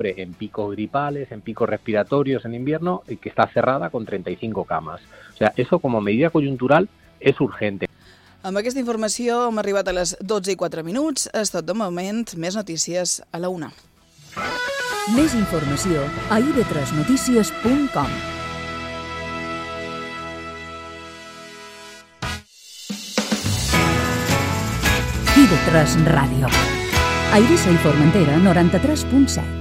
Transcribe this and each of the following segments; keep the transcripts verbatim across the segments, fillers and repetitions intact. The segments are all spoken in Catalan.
en picos gripales, en picos respiratorios en invierno, y que está cerrada con treinta y cinco camas. O sea, eso como medida coyuntural es urgente. Amb aquesta informació hem arribat a les dotze i quatre minuts. És tot de moment. Més notícies a la una. Més informació a i ve tres notícies punt com. i ve tres Ràdio. A Eivissa i Formentera, noranta-tres punt set.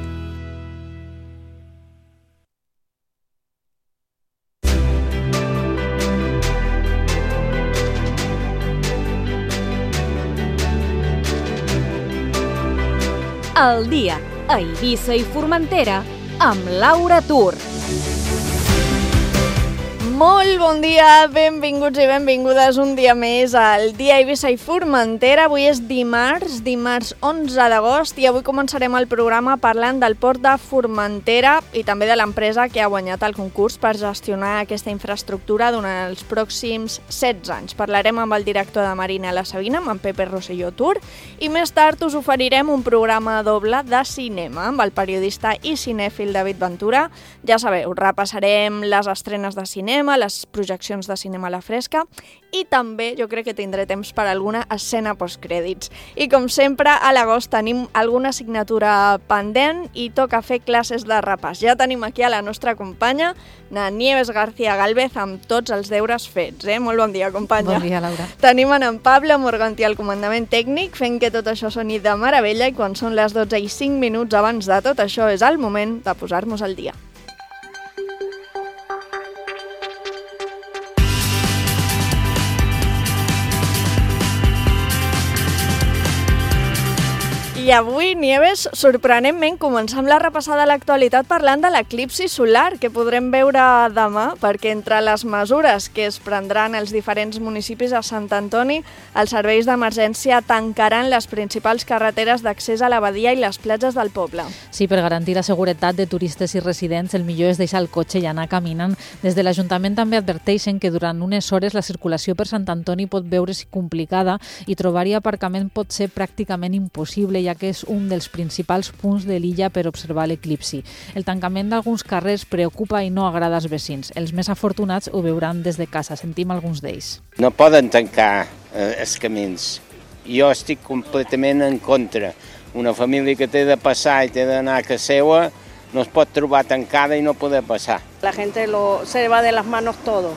El dia a Eivissa i Formentera amb Laura Tur. Molt bon dia, benvinguts i benvingudes un dia més al dia a Eivissa i Formentera. Avui és dimarts, dimarts onze d'agost, i avui començarem el programa parlant del port de Formentera i també de l'empresa que ha guanyat el concurs per gestionar aquesta infraestructura durant els pròxims setze anys. Parlarem amb el director de Marina La Sabina, amb en Pepe Rosselló Tur, i més tard us oferirem un programa doble de cinema amb el periodista i cinèfil David Ventura. Ja sabeu, repassarem les estrenes de cinema, les projeccions de cinema a la fresca, i també jo crec que tindré temps per alguna escena postcrèdits. I com sempre, a l'agost tenim alguna assignatura pendent i toca fer classes de repàs. Ja tenim aquí a la nostra companya, na Nieves García Gálvez, amb tots els deures fets. Eh? Molt bon dia, companya. Bon dia, Laura. Tenim en, en Pablo Morganti al comandament tècnic, fent que tot això soni de meravella, i quan són les dotze i cinc minuts abans de tot això és el moment de posar-nos al dia. I avui, Nieves, sorprenentment, comencem la repassada de l'actualitat parlant de l'eclipsi solar que podrem veure demà, perquè entre les mesures que es prendran els diferents municipis a Sant Antoni, els serveis d'emergència tancaran les principals carreteres d'accés a la badia i les platges del poble. Sí, per garantir la seguretat de turistes i residents, el millor és deixar el cotxe i anar caminant. Des de l'Ajuntament també adverteixen que durant unes hores la circulació per Sant Antoni pot veure's complicada i trobar-hi aparcament pot ser pràcticament impossible, ja que és un dels principals punts de l'illa per observar l'eclipsi. El tancament d'alguns carrers preocupa i no agrada als veïns. Els més afortunats ho veuran des de casa. Sentim alguns d'ells. No poden tancar eh, els camins. Jo estic completament en contra. Una família que té de passar i té d'anar a casa seva no es pot trobar tancada i no poder passar. La gente lo, se va de las manos todo,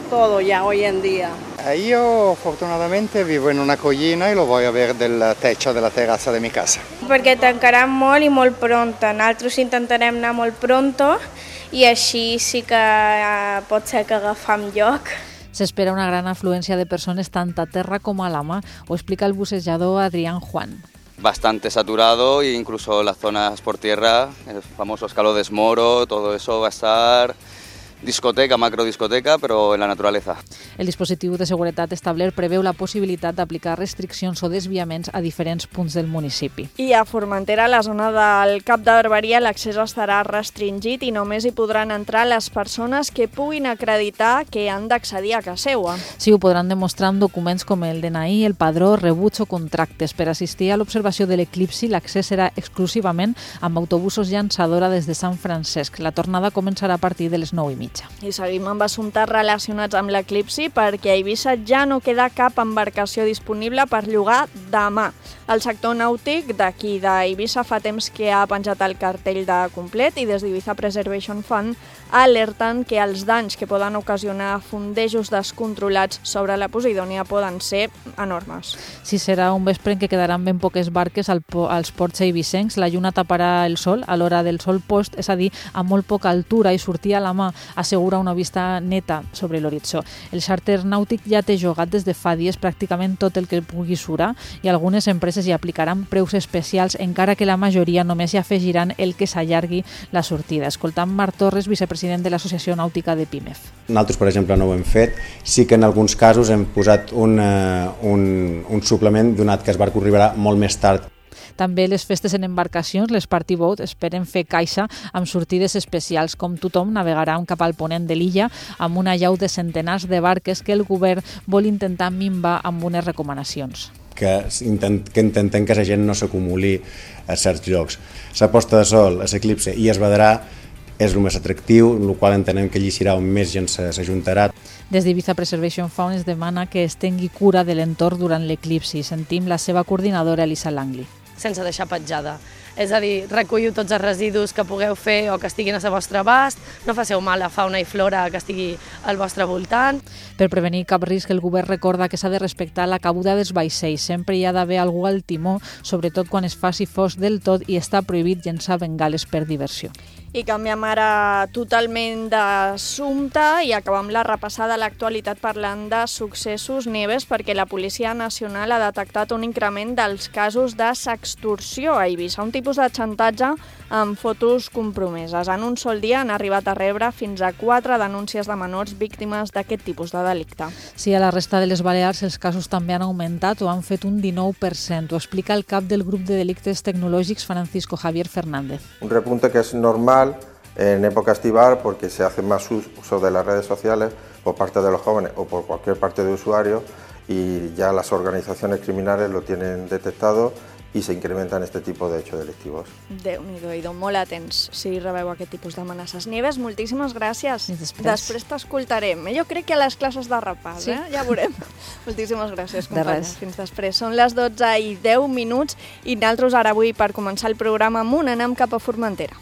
todo ya hoy en día. Io fortunatamente vivo in una collina e lo voy a ver del techo della terrazza de mi casa. Perquè tancaran molt i molt pronto. Nosaltres intentarem anar molt pronto i així sí que eh, pot ser que agafam lloc. S'espera una gran afluència de persones tant a terra com a la mar, ho explica el bucejador Adrián Juan. Bastante saturado e incluso las zonas por tierra, el famoso escalo de Esmoro, todo eso va a estar... discoteca, macrodiscoteca, però en la naturalesa. El dispositiu de seguretat establert preveu la possibilitat d'aplicar restriccions o desviaments a diferents punts del municipi. I a Formentera, a la zona del Cap de Barberia, l'accés estarà restringit i només hi podran entrar les persones que puguin acreditar que han d'accedir a casa seva. Sí, ho podran demostrar amb documents com el D N I, el padró, rebuts o contractes. Per assistir a l'observació de l'eclipsi, l'accés serà exclusivament amb autobusos llançadora des de Sant Francesc. La tornada començarà a partir de les nou i mitja. I seguim amb assumptes relacionats amb l'eclipsi perquè a Eivissa ja no queda cap embarcació disponible per llogar demà. El sector nàutic d'aquí d'Eivissa fa temps que ha penjat el cartell de complet i des d'Ibiza Preservation Fund alerten que els danys que poden ocasionar fondejos descontrolats sobre la Posidònia poden ser enormes. Sí, serà un vespre en què quedaran ben poques barques al po- als ports eivissencs. La lluna taparà el sol a l'hora del sol post, és a dir, a molt poca altura, i sortir a la mà assegura una vista neta sobre l'horitzó. El xàrter nàutic ja té jogat des de fa dies pràcticament tot el que pugui surar i algunes empreses hi aplicaran preus especials, encara que la majoria només hi afegiran el que s'allargui la sortida. Escoltant Marc Torres, vicepresident de l'Associació Nàutica de Pimef. Nosaltres, per exemple, no ho hem fet. Sí que en alguns casos hem posat un, un, un suplement donat que el barco arribarà molt més tard. També les festes en embarcacions, les party boat, esperen fer caixa amb sortides especials. Com tothom, navegaran cap al ponent de l'illa amb una llau de centenars de barques que el govern vol intentar minvar amb unes recomanacions. que, intent, que intentem que la gent no s'acumuli a certs llocs. La posta de sol, l'eclipse i es vedrà és el més atractiu, el qual entenem que allí serà on més gent s'ajuntarà. Des d'Ibiza Preservation Fund es demana que es tingui cura de l'entorn durant l'eclipsi. Sentim la seva coordinadora, Elisa Langley. Sense deixar petjada. És a dir, recolliu tots els residus que pugueu fer o que estiguin al vostre abast, no faceu mal a fauna i flora que estigui al vostre voltant. Per prevenir cap risc, el govern recorda que s'ha de respectar la cabuda dels vaixells. Sempre hi ha d'haver algú al timó, sobretot quan es faci fosc del tot, i està prohibit llençar bengales per diversió. I canviem ara totalment d'assumpte i acabem la repassada a l'actualitat parlant de successos, Nieves, perquè la Policia Nacional ha detectat un increment dels casos de sextorsió a Eivissa, un tipus de xantatge amb fotos compromeses. En un sol dia han arribat a rebre fins a quatre denúncies de menors víctimes d'aquest tipus de delicte. Sí, a la resta de les Balears els casos també han augmentat o han fet un dinou per cent. Ho explica el cap del grup de delictes tecnològics, Francisco Javier Fernández. Un repunte que es normal en época estival porque se hace más uso de las redes sociales por parte de los jóvenes o por cualquier parte de usuarios y ya las organizaciones criminales lo tienen detectado i s'incrementen este tipus d'hechos delictivos. Déu-n'hi-do, i molt atents si rebeu aquest tipus d'amenaces. Nieves, moltíssimes gràcies. Després, després t'escoltarem. Jo crec que a les classes de repàs, sí? eh? Ja veurem. Moltíssimes gràcies, companya. De Fins després. Són les dotze i deu minuts i nosaltres ara avui, per començar el programa amunt, anem cap a Formentera.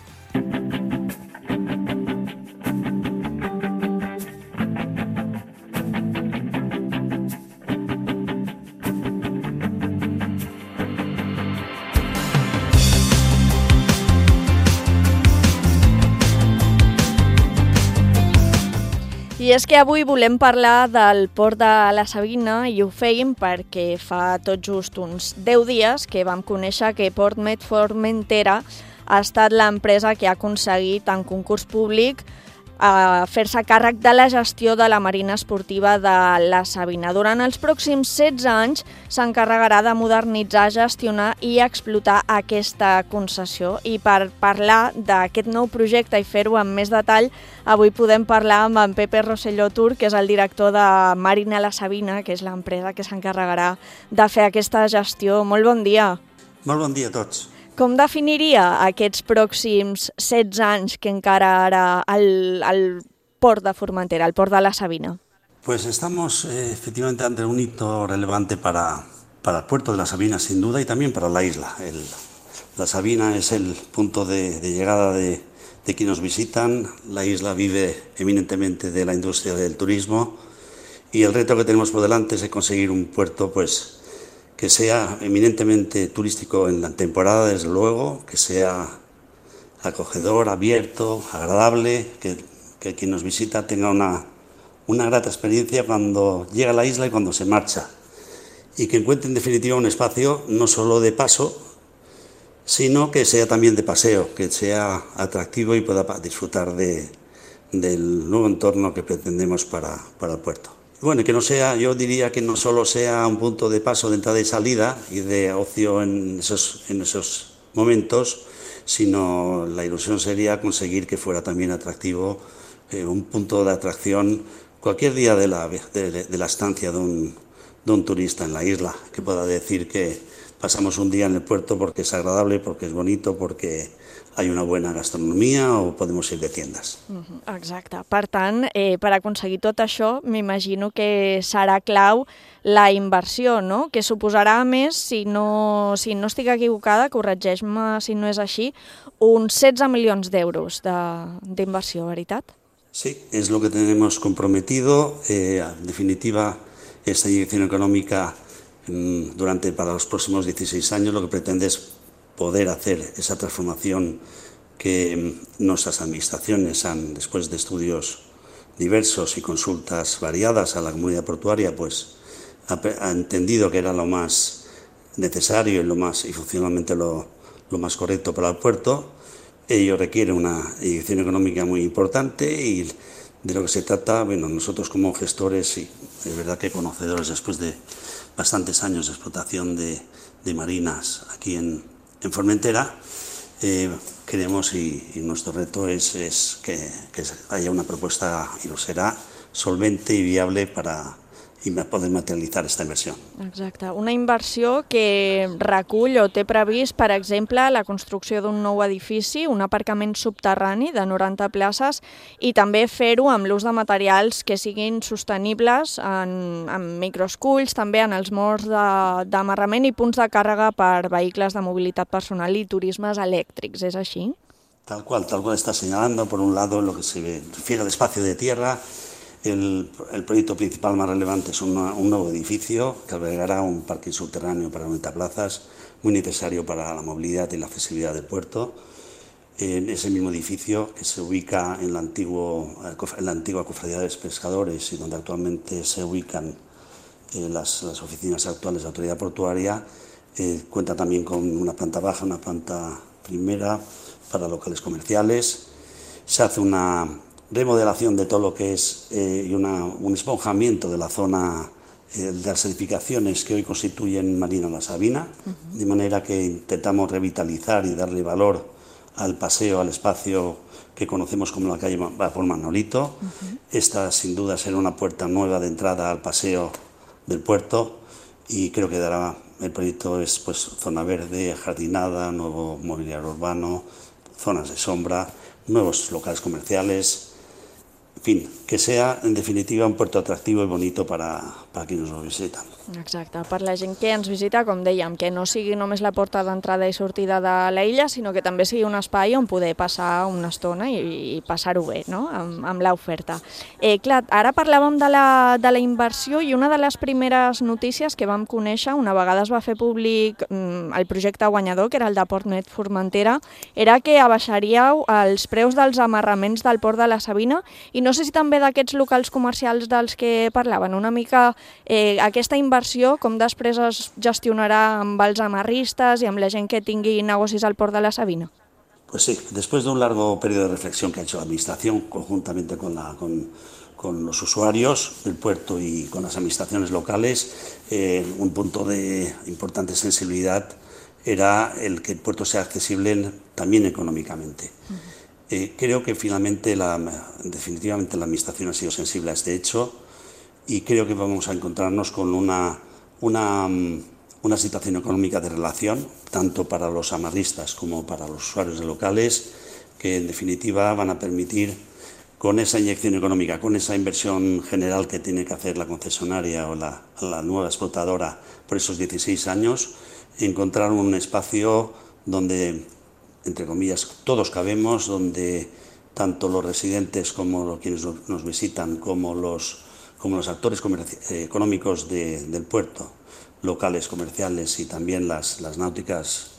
I és que avui volem parlar del port de la Sabina i ho feim perquè fa tot just uns deu dies que vam conèixer que Portmet Formentera ha estat l'empresa que ha aconseguit en concurs públic a fer-se càrrec de la gestió de la marina esportiva de la Sabina. Durant els pròxims setze anys s'encarregarà de modernitzar, gestionar i explotar aquesta concessió. I per parlar d'aquest nou projecte i fer-ho amb més detall, avui podem parlar amb en Pepe Rosselló Tur, que és el director de Marina La Sabina, que és l'empresa que s'encarregarà de fer aquesta gestió. Molt bon dia. Molt bon dia a tots. Com definiria aquests pròxims setze anys que encara ara al, al port de Formentera, al port de la Sabina? Pues estamos eh, efectivamente ante un hito relevante para, para el puerto de la Sabina, sin duda, y también para la isla. El, la Sabina es el punto de, de llegada de, de quienes nos visitan. La isla vive eminentemente de la industria del turismo y el reto que tenemos por delante es conseguir un puerto, pues, que sea eminentemente turístico en la temporada, desde luego, que sea acogedor, abierto, agradable, que, que quien nos visita tenga una, una grata experiencia cuando llega a la isla y cuando se marcha, y que encuentre en definitiva un espacio no solo de paso, sino que sea también de paseo, que sea atractivo y pueda disfrutar de, del nuevo entorno que pretendemos para, para el puerto. Bueno, que no sea, yo diría que no solo sea un punto de paso de entrada y salida y de ocio en esos, en esos momentos, sino la ilusión sería conseguir que fuera también atractivo, eh, un punto de atracción cualquier día de la, de, de la estancia de un, de un turista en la isla, que pueda decir que pasamos un día en el puerto porque es agradable, porque es bonito, porque hay una buena gastronomia o podemos ir de tiendas. Exacte. Per tant, eh, per aconseguir tot això, m'imagino que serà clau la inversió, no? Que suposarà més, si no, si no estic equivocada, corregeix-me si no és així, uns setze milions d'euros d'inversió, veritat? Sí, es lo que tenemos comprometido. Eh, en definitiva, esta inyección económica mm, durante para los próximos dieciséis años lo que pretende es poder hacer esa transformación que nuestras administraciones han, después de estudios diversos y consultas variadas a la comunidad portuaria, pues ha, ha entendido que era lo más necesario y lo más y funcionalmente lo, lo más correcto para el puerto. Ello requiere una inyección económica muy importante y de lo que se trata, bueno, nosotros como gestores y es verdad que conocedores después de bastantes años de explotación de, de marinas aquí en En Formentera, eh, queremos y, y nuestro reto es, es que, que haya una propuesta, y lo será, solvente y viable para i poder materialitzar aquesta inversió. Exacte. Una inversió que recull o té previst, per exemple, la construcció d'un nou edifici, un aparcament subterrani de noranta places i també fer-ho amb l'ús de materials que siguin sostenibles en, en microesculls, també en els morts d'amarrament i punts de càrrega per vehicles de mobilitat personal i turismes elèctrics. És així? Tal cual, tal cual está señalando. Por un lado, en lo que se refiere al espacio de tierra, el, el proyecto principal más relevante es una, un nuevo edificio que albergará un parking subterráneo para noventa plazas, muy necesario para la movilidad y la accesibilidad del puerto. En ese mismo edificio, que se ubica en la, antiguo, en la antigua Cofradía de los Pescadores y donde actualmente se ubican eh, las, las oficinas actuales de la Autoridad Portuaria, eh, cuenta también con una planta baja, una planta primera para locales comerciales. Se hace una remodelación de todo lo que es eh, y una, un esponjamiento de la zona eh, de las edificaciones que hoy constituyen Marina La Sabina, uh-huh. de manera que intentamos revitalizar y darle valor al paseo, al espacio que conocemos como la calle Vapor Manolito. Uh-huh. Esta sin duda será una puerta nueva de entrada al paseo del puerto y creo que dará, el proyecto es pues zona verde, jardinada, nuevo mobiliario urbano, zonas de sombra, nuevos locales comerciales, en fin, que sea en definitiva un puerto atractivo i bonito para, para quienes nos visitan. Exacte, per la gent que ens visita, com dèiem, que no sigui només la porta d'entrada i sortida de l'illa, sinó que també sigui un espai on poder passar una estona i, i passar-ho bé, no?, amb, amb l'oferta. Eh, clar, ara parlàvem de la, de la inversió i una de les primeres notícies que vam conèixer, una vegada es va fer públic mm, el projecte guanyador, que era el de PortNet Formentera, era que abaixaríeu els preus dels amarraments del Port de la Sabina i no sé si també d'aquests locals comercials dels que parlaven, una mica eh, aquesta inversió inversió, com després es gestionarà amb els amarristes i amb la gent que tingui negocis al Port de la Sabina? Pues sí, después de un largo periodo de reflexión que ha hecho la Administración conjuntamente con, la, con, con los usuarios del puerto y con las administraciones locales, eh, un punto de importante sensibilidad era el que el puerto sea accesible también económicamente. Uh-huh. eh, creo que finalmente, la, definitivamente la Administración ha sido sensible a este hecho y creo que vamos a encontrarnos con una, una, una situación económica de relación, tanto para los amarristas como para los usuarios de locales, que en definitiva van a permitir, con esa inyección económica, con esa inversión general que tiene que hacer la concesionaria o la, la nueva explotadora por esos dieciséis años, encontrar un espacio donde, entre comillas, todos cabemos, donde tanto los residentes como quienes nos visitan, como los como los actores eh, económicos de, del puerto, locales comerciales y también las, las náuticas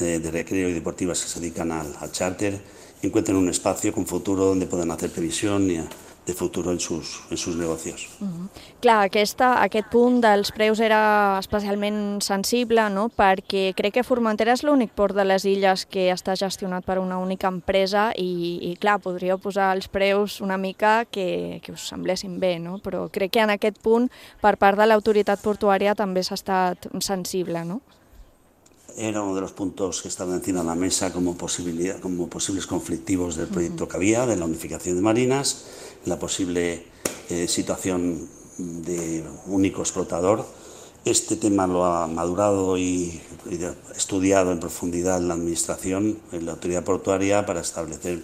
eh, de recreo y deportivas que se dedican al, al charter, encuentren un espacio con futuro donde puedan hacer previsión y, de futuro en sus, en sus negocios. Uh-huh. Clar, aquesta, aquest punt dels preus era especialment sensible, no?, perquè crec que Formentera és l'únic port de les illes que està gestionat per una única empresa i, i clar, podríeu posar els preus una mica que, que us semblessin bé, no?, però crec que en aquest punt, per part de l'autoritat portuària també s'ha estat sensible, no? Era uno de los puntos que estaban encima de la mesa como, posibilidad, como posibles conflictivos del proyecto uh-huh. que había, de la unificación de marinas, la posible eh, situación de único explotador. Este tema lo ha madurado y, y estudiado en profundidad en la Administración, en la Autoridad Portuaria, para establecer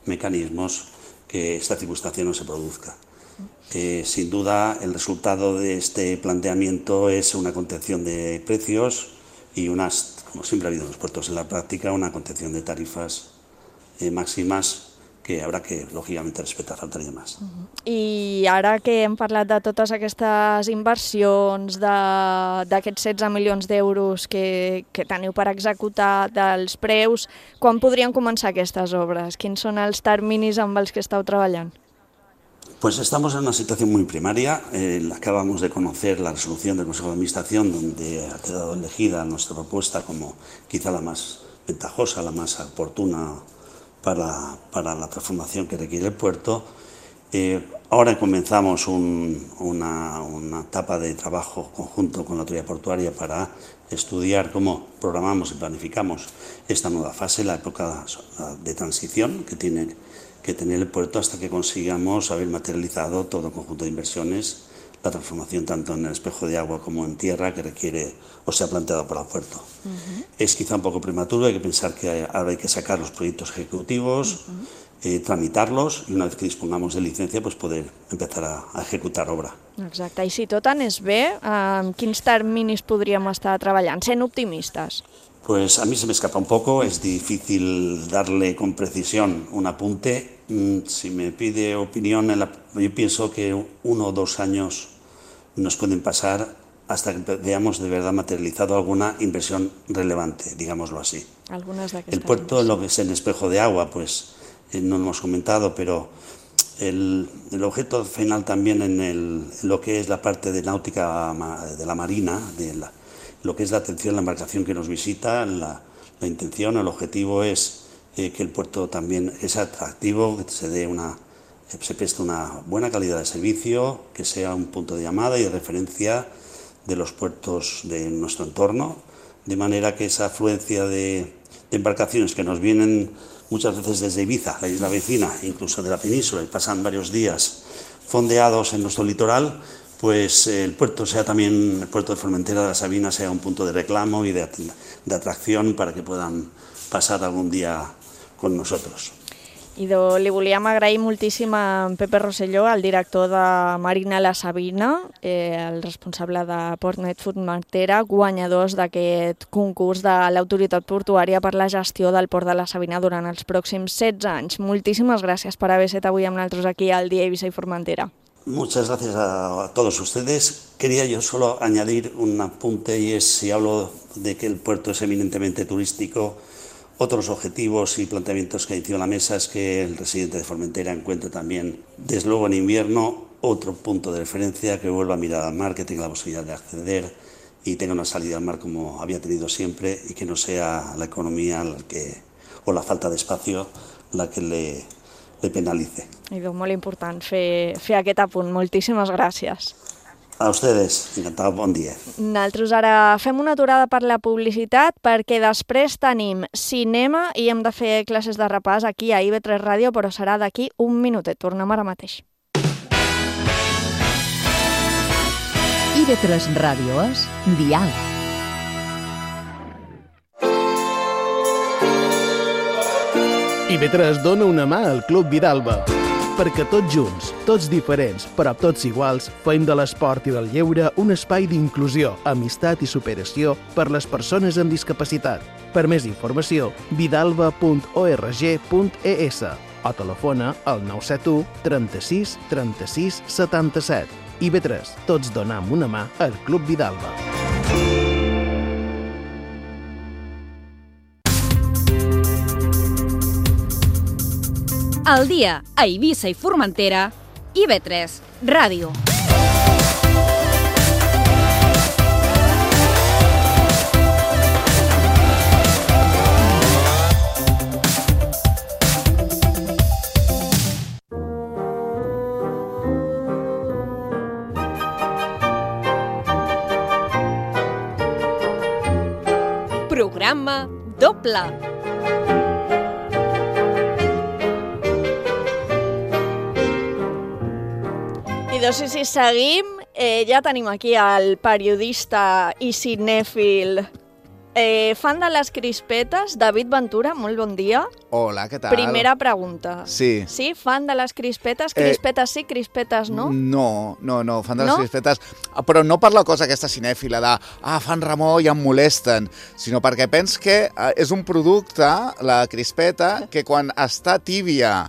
mecanismos que esta circunstancia no se produzca. Eh, sin duda, el resultado de este planteamiento es una contención de precios y unas, como siempre ha habido en los puertos en la práctica, una contención de tarifas eh, máximas que habrá que, lògicament, respetar, faltaria més. Uh-huh. I ara que hem parlat de totes aquestes inversions, d'aquests setze milions d'euros que, que teniu per executar, dels preus, quan podrien començar aquestes obres? Quins són els terminis amb els que esteu treballant? Pues estamos en una situación muy primaria. Eh, acabamos de conocer la resolución del Consejo de Administración, donde ha quedado elegida nuestra propuesta como quizá la más ventajosa, la más oportuna para, para la transformación que requiere el puerto. Eh, ahora comenzamos un, una, una etapa de trabajo conjunto con la Autoridad Portuaria para estudiar cómo programamos y planificamos esta nueva fase, la época de transición que tiene que tener el puerto hasta que consigamos haber materializado todo el conjunto de inversiones, la transformación tanto en el espejo de agua como en tierra que requiere o se ha planteado para el puerto. Uh-huh. Es quizá un poco prematuro, hay que pensar que ahora hay que sacar los proyectos ejecutivos, uh-huh. eh, tramitarlos i una vez que dispongamos de licencia pues poder empezar a, a ejecutar obra. Exacte, i si tot anés bé, amb quins terminis podríem estar treballant, sent optimistes? Pues a mí se me escapa un poco, es difícil darle con precisión un apunte. Si me pide opinión, yo pienso que uno o dos años nos pueden pasar hasta que veamos de verdad materializado alguna inversión relevante, digámoslo así. Algunas de el puerto, lo que es el espejo de agua, pues eh, no lo hemos comentado, pero el, el objeto final también en, el, en lo que es la parte de náutica de la marina, de la, lo que es la atención a la embarcación que nos visita, la, la intención, el objetivo es eh, que el puerto también es atractivo, que se dé una, se preste una buena calidad de servicio, que sea un punto de llamada y de referencia de los puertos de nuestro entorno, de manera que esa afluencia de, de embarcaciones que nos vienen muchas veces desde Ibiza, la isla vecina, incluso de la península, y pasan varios días fondeados en nuestro litoral, pues el puerto sea también, el puerto de Formentera de la Sabina sea un punto de reclamo y de, de atracción para que puedan pasar algún día con nosotros. Idò, li volíem agrair moltíssim a Pepe Rosselló, el director de Marina La Sabina, eh, el responsable de Portnet Formentera, guanyadors d'aquest concurs de l'autoritat portuària per la gestió del Port de la Sabina durant els pròxims setze anys. Moltíssimes gràcies per haver estat avui amb nosaltres aquí al Dia Eivissa i Formentera. Muchas gracias a todos ustedes. Quería yo solo añadir un apunte y es, si hablo de que el puerto es eminentemente turístico, otros objetivos y planteamientos que hay encima de la mesa es que el residente de Formentera encuentre también, desde luego en invierno, otro punto de referencia, que vuelva a mirar al mar, que tenga la posibilidad de acceder y tenga una salida al mar como había tenido siempre y que no sea la economía la que, o la falta de espacio la que le, le penalice. Idò, molt important fer, fer aquest apunt. Moltíssimes gràcies. A ustedes, encantado, bon dia. Nosaltres ara fem una aturada per la publicitat perquè després tenim cinema i hem de fer classes de repàs aquí a I V tres Ràdio, però serà d'aquí un minutet. Tornem ara mateix. I V tres Ràdio és Dial. I V tres dona una mà al Club Vidalba, perquè tots junts, tots diferents, però tots iguals, fem de l'esport i del lleure un espai d'inclusió, amistat i superació per les persones amb discapacitat. Per més informació, vidalba punt org punt es o telefona al nou set u trenta-sis trenta-sis setanta-set. I V tres, tots donam una mà al Club Vidalba. Al dia a Eivissa i Formentera, I V tres Ràdio. Programa doble. I doncs, si seguim, eh, ja tenim aquí el periodista i cinèfil, eh, fan de les crispetes, David Ventura, molt bon dia. Hola, què tal? Primera pregunta. Sí. Sí, fan de les crispetes, crispetes sí, crispetes no? No, no, no, fan de les no? crispetes, però no per la cosa aquesta cinèfila de ah, fan remor i em molesten, sinó perquè pens que eh, és un producte, la crispeta, que quan està tíbia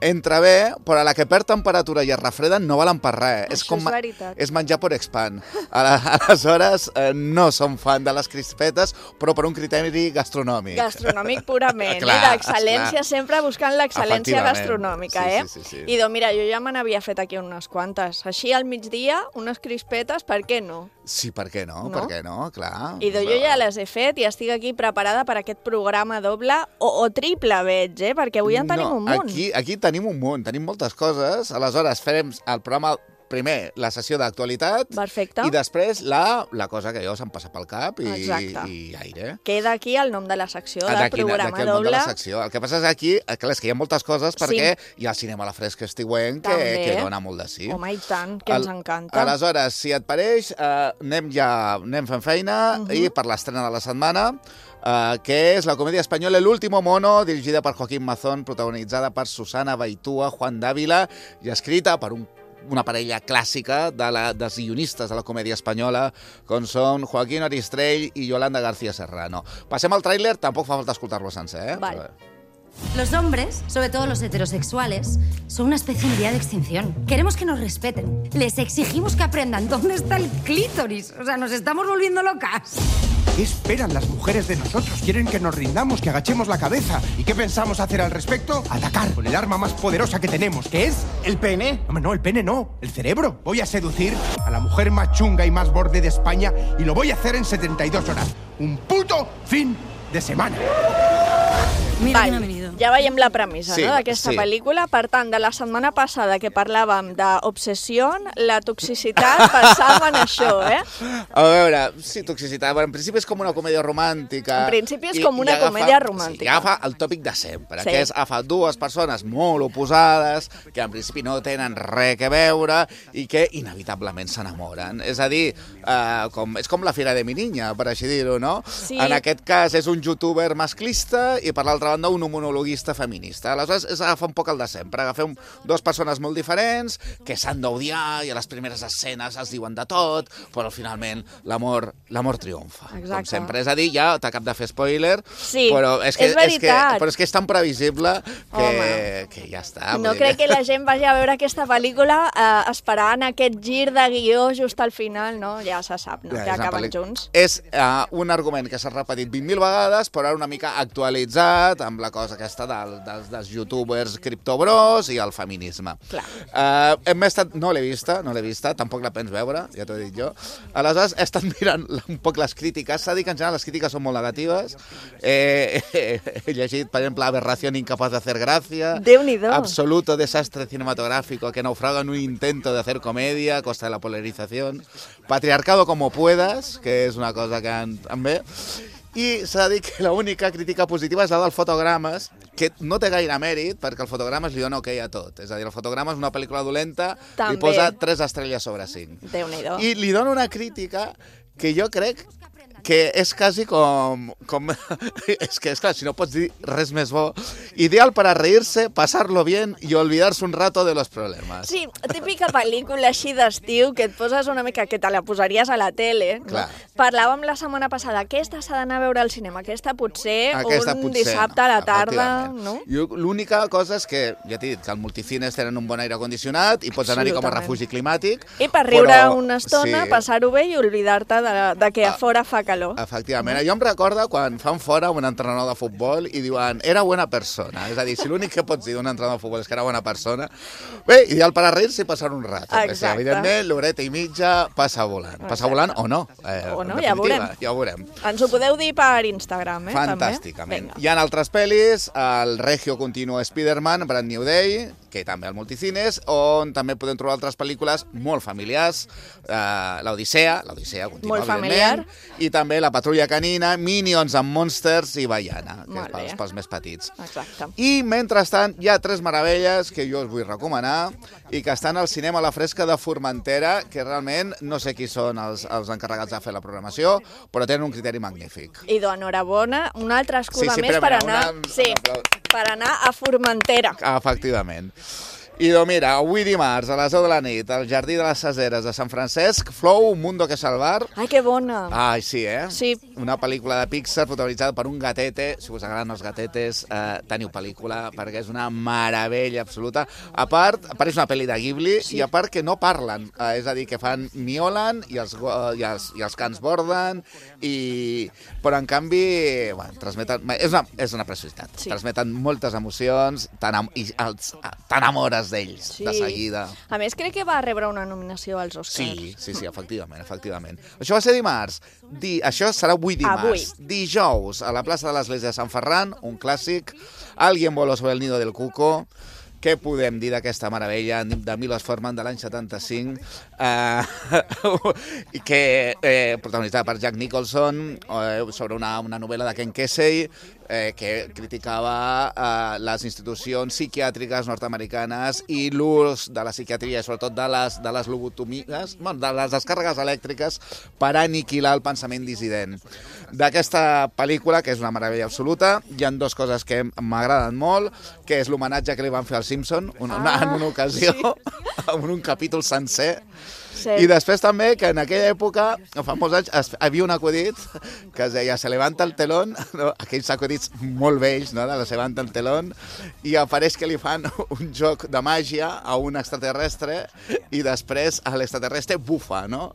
entra bé, però a la que perd temperatura i es refreden no valen per res. Això és, com, és veritat. És menjar per expand. Aleshores, eh, no som fan de les crispetes, però per un criteri gastronòmic. Gastronòmic purament, clar, i d'excel·lència, clar. Sempre buscant l'excel·lència gastronòmica, sí, eh? Sí, sí, sí. I doncs, mira, jo ja me n'havia fet aquí unes quantes. Així al migdia, unes crispetes, per què no? Sí, per què no? No? Per què no? Clar. I doncs jo ja les he fet i estic aquí preparada per aquest programa doble o, o triple, veig, eh? Perquè avui en tenim no, un munt. Aquí, aquí tenim un munt, tenim moltes coses. Aleshores, farem el programa primer la sessió d'actualitat Perfecte. i després la, la cosa que jo se'm passa pel cap i, Exacte. i aire. Queda aquí el nom de la secció, del D'aquí programa d'aquí el nom de doble. la secció. El que passa és aquí, clar, és que hi ha moltes coses perquè Sí. hi ha el cinema a la fresca estiuenc que, També. que dona molt de sí. Home, i tant, que ens Al- encanta. Aleshores, si et pareix, eh, anem ja anem fent feina Mhm. i per l'estrena de la setmana, eh, que és la comèdia espanyola El último mono, dirigida per Joaquín Mazón, protagonitzada per Susana Baitúa, Juan Dávila i escrita per un una parella clàssica de la, dels guionistes de la comèdia espanyola, com són Joaquín Aristrell i Yolanda García Serrano. Passem al tràiler, tampoc fa falta escoltar-lo sencer, eh? Vale. Los hombres, sobre todo los heterosexuales, son una especie en vía de extinción. Queremos que nos respeten. Les exigimos que aprendan dónde está el clítoris. O sea, nos estamos volviendo locas. ¿Qué esperan las mujeres de nosotros? Quieren que nos rindamos, que agachemos la cabeza. ¿Y qué pensamos hacer al respecto? Atacar con el arma más poderosa que tenemos, que es el pene. Hombre, no, el pene no, el cerebro. Voy a seducir a la mujer más chunga y más borde de España y lo voy a hacer en setenta y dos horas. Un puto fin de semana. Mira Val, ja veiem la premissa Sí, no, d'aquesta sí. pel·lícula. Per tant, de la setmana passada que parlàvem d'obsessió, la toxicitat passava en això, eh? A veure, sí, toxicitat. Bueno, en principi és com una comèdia romàntica. En principi és i- com una i agafa, comèdia romàntica. Sí, agafa el tòpic de sempre, Sí. que és agafar dues persones molt oposades, que en principi no tenen res que veure i que inevitablement s'enamoren. És a dir, eh, com, és com la Fira de mi niña, per així dir-ho, no? Sí. En aquest cas és un youtuber masclista i per l'altra banda un monologuista feminista. Aleshores és agafar un poc el de sempre, agafem dues persones molt diferents que s'han d'odiar i a les primeres escenes es diuen de tot, però finalment l'amor l'amor triomfa. Exacte. Com sempre, és a dir, ja t'acab de fer spoiler, Sí, però és que és veritat. És que, però és que és tan previsible que, Home. que ja està. No vull dir crec que la gent vagi a veure aquesta pel·lícula eh, esperant aquest gir de guió just al final, no? Ja se sap, no? Ja, Que és una acaben pel·li- junts. És uh, un argument que s'ha repetit vint mil vegades, però ara una mica actualitzat amb la cosa aquesta del, dels, dels youtubers criptobros i el feminisme. Clar. Uh, hem estat, no l'he vista, no l'he vista, tampoc la pens veure, ja t'ho he dit jo. Aleshores, he estat mirant un poc les crítiques. S'ha dit que en general les crítiques són molt negatives. Eh, he, he llegit, per exemple, Aberración incapaz de hacer gracia. Déu-n'hi-do. Absoluto desastre cinematográfico que naufraga en un intento de hacer comedia a costa de la polarización. Patriarcado como puedas, que és una cosa que en, en ve. I s'ha de dir que l'única crítica positiva és la del Fotogrames, que no té gaire mèrit, perquè el Fotogrames li dona ok a tot. És a dir, el Fotogrames, una pel·lícula dolenta, També. li posa tres estrelles sobre cinc. Déu-n'hi-do. I li dona una crítica que jo crec que és quasi com... com és que, és clar, si no pots dir res més bo. Ideal para reírse, pasarlo bien y olvidarse un rato de los problemas. Sí, típica pel·lícula així d'estiu que et poses una mica, que te la posaries a la tele. No? Clar. Parlàvem la setmana passada, aquesta s'ha d'anar a veure al cinema, aquesta potser Aquesta un potser dissabte no, a la tarda, efectivament. no? Jo, l'única cosa és que, ja t'he dit, que al multicines tenen un bon aire condicionat i pots anar-hi com a Absolutament. refugi climàtic. I per riure però, una estona, sí, passar-ho bé i oblidar-te de, de que a fora fa calor. Efectivament. Jo em recordo quan fan fora un entrenador de futbol i diuen era buena persona. És a dir, si l'únic que pots dir d'un entrenador de futbol és que era bona persona, bé, ideal per a reir-se i passar un rato. Exacte. Que sí, evidentment, l'horeta i mitja passa volant. Passa Exacte. volant o no. Eh, O no, en ja definitiva, veurem. Ja ho veurem. Ens ho podeu dir per Instagram, eh? Fantàsticament. També? Hi ha altres pel·lis, el Regio Continuo Spider-Man, Brand New Day, que també al multicines, on també podem trobar altres pel·lícules molt familiars, eh, l'Odissea, l'Odissea continua, Molt familiar. evidentment, i també La Patrulla Canina, Minions amb Monsters i Baiana, que Molt és pels, bé. pels més petits. Exacte. I, mentrestant, hi ha tres meravelles que jo us vull recomanar i que estan al cinema a la fresca de Formentera, que realment no sé qui són els, els encarregats de fer la programació, però tenen un criteri magnífic. Idò, enhorabona. Una altra excusa Sí, sí, més però per mira, anar, una- sí, per anar a Formentera. Efectivament. I doncs mira, avui dimarts a les deu de la nit al Jardí de les Caseres de Sant Francesc, Flow, Un mundo que salvar. Ai, que bona. Ai, sí, eh? Sí. Una pel·lícula de Pixar protagonitzada per un gatete. Si us agraden els gatetes, eh, teniu pel·lícula, perquè és una meravella absoluta. A part, a part és una pel·li de Ghibli, sí. I a part que no parlen, eh, és a dir, que fan miolen i els, go- i els, i els cans borden, i... però en canvi, bueno, transmeten... És una, és una preciositat. Sí. Transmeten moltes emocions, t'enam- i els- t'enamores d'ells, Sí. de seguida. A més, crec que va rebre una nominació als Oscars. Sí, sí, sí, efectivament, efectivament. Això va ser dimarts. Di... Això serà avui dimarts. Avui. Dijous, a la plaça de l'Església de Sant Ferran, un clàssic, Alguien voló sobre el nido del cuco, què podem dir d'aquesta meravella de Milos Forman de l'any setanta-cinc, eh, que eh, protagonitzada per Jack Nicholson, eh, sobre una, una novel·la de Ken Kesey, eh, que criticava eh, les institucions psiquiàtriques nord-americanes i l'ús de la psiquiatria, sobretot de les, de les lobotomies, bueno, de les descàrregues elèctriques per aniquilar el pensament dissident. D'aquesta pel·lícula, que és una meravella absoluta, hi ha dues coses que m'agraden molt, que és l'homenatge que li van fer al Simpson una, ah, en una ocasió, sí. en un capítol sencer, sí. I després també que en aquella època, fa molts anys, es, hi havia un acudit que es deia se levanta el telón, no? Aquells acudits molt vells, no? De se levanta el telón, i apareix que li fan un joc de màgia a un extraterrestre i després a l'extraterrestre bufa, no?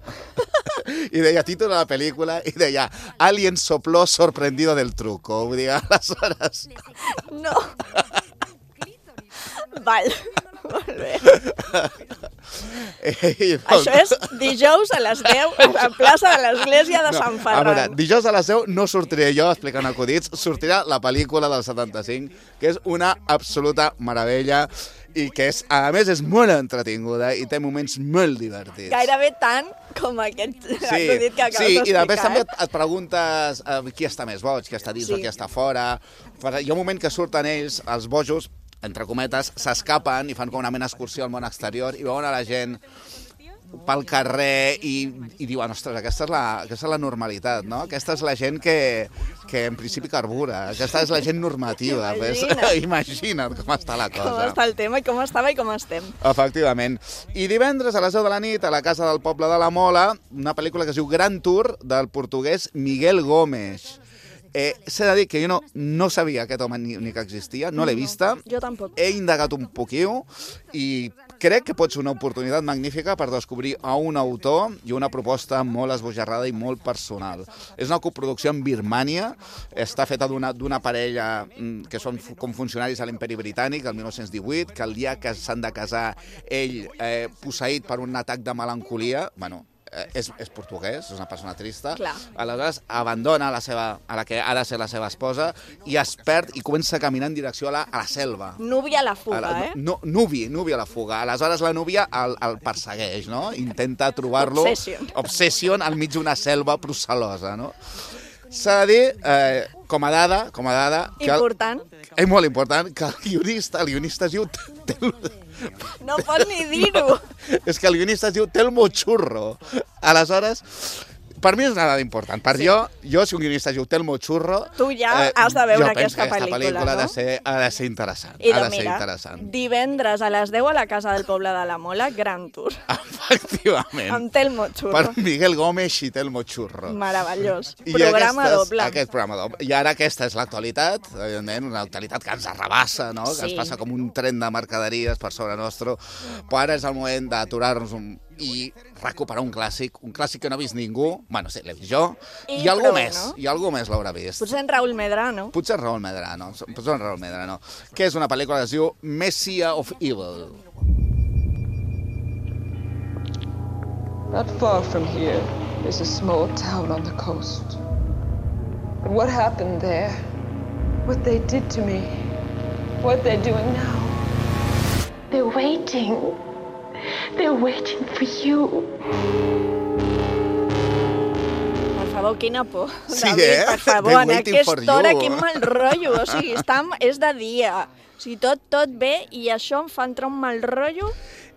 I deia títol de la pel·lícula i deia Alien sopló sorprendido del truco. Vull dir, aleshores... No. Val, molt bé. Ei, Això és dijous a les deu a la plaça de l'església de no, Sant Ferran. A veure, dijous a les deu no sortiré jo explicant acudits, sortirà la pel·lícula del setanta-cinc, que és una absoluta meravella i que, és, a més, és molt entretinguda i té moments molt divertits. Gairebé tant com aquest sí, acudit que acabes sí, d'explicar. Sí, i després també et preguntes eh, qui està més boig, qui està dins sí. o qui està fora. Hi ha un moment que surten ells, els bojos, entre cometes, s'escapen i fan com una mena d'excursió al món exterior i veuen a la gent pel carrer i, i diuen, ostres, aquesta és, la, aquesta és la normalitat, no? Aquesta és la gent que, que en principi carbura, aquesta és la gent normativa. Imagina't. Ves? Imagina't com està la cosa. Com està el tema i com estava i com estem. Efectivament. I divendres a les deu de la nit, a la Casa del Poble de la Mola, una pel·lícula que es diu Gran Tour, del portuguès Miguel Gómez. Eh, S'ha de dir que jo no, no sabia aquest home ni, ni que existia, no l'he vista. No, jo tampoc. He indagat un poquiu i crec que pot ser una oportunitat magnífica per descobrir a un autor i una proposta molt esbojarrada i molt personal. És una coproducció en Birmània, està feta d'una parella que són com funcionaris a l'Imperi Britànic, el mil nou-cents divuit, que el dia que s'han de casar ell, eh, posseït per un atac de melancolia, bueno, És, és portuguès, és una persona trista. Clar. Aleshores abandona la seva, a la que ha de ser la seva esposa i es perd i comença a caminar en direcció a la, a la selva. Núvia a la fuga, a la, eh? No, núvia, núvia a la fuga. Aleshores la núvia el, el persegueix, no? Intenta trobar-lo... Obsession. Obsession al mig d'una selva procel·losa, no? S'ha de dir, eh, com a dada... Com a dada que important. El, és molt important que el guionista, el guionista es diu... No pot ni dir-ho. És que el guionista es diu Telmo Churro. Aleshores, per mi és una dada important. Per sí. jo, jo, si un guionista es diu Telmo Churro... Tu ja eh, has de veure aquesta pel·lícula, pel·lícula, pel·lícula no? Ha de ser, ha de ser interessant. I ha de, de ser mira, interessant. divendres a les deu a la Casa del Poble de la Mola, Gran Tour. Efectivament. Amb Telmo Churro. Per Miguel Gómez i Telmo Churro. Meravellós. I programa aquestes, doble. Aquest programa doble. I ara aquesta és l'actualitat, evidentment, una actualitat que ens arrabassa, no? Sí. Que ens passa com un tren de mercaderies per sobre nostre. Però ara és el moment d'aturar-nos un... i recuperar un clàssic, un clàssic que no ha vist ningú, bueno, sí, l'he vist jo, i, i algú prou, més, no? i algú més l'haurà vist. Potser en Raúl Medrano. Potser en Raúl Medrano, potser en Raúl Medrano, que és una pel·lícula que es diu Messiah of Evil. Not far from here is a small town on the coast. But what happened there, what they did to me, what they're doing now, they're waiting. They're waiting for you. Per favor, quina por. Sí, David, eh? per favor, They're en aquesta hora, quin mal rotllo. O sigui, està, és de dia. O sigui, tot, tot bé, i això em fa entrar un mal rotllo.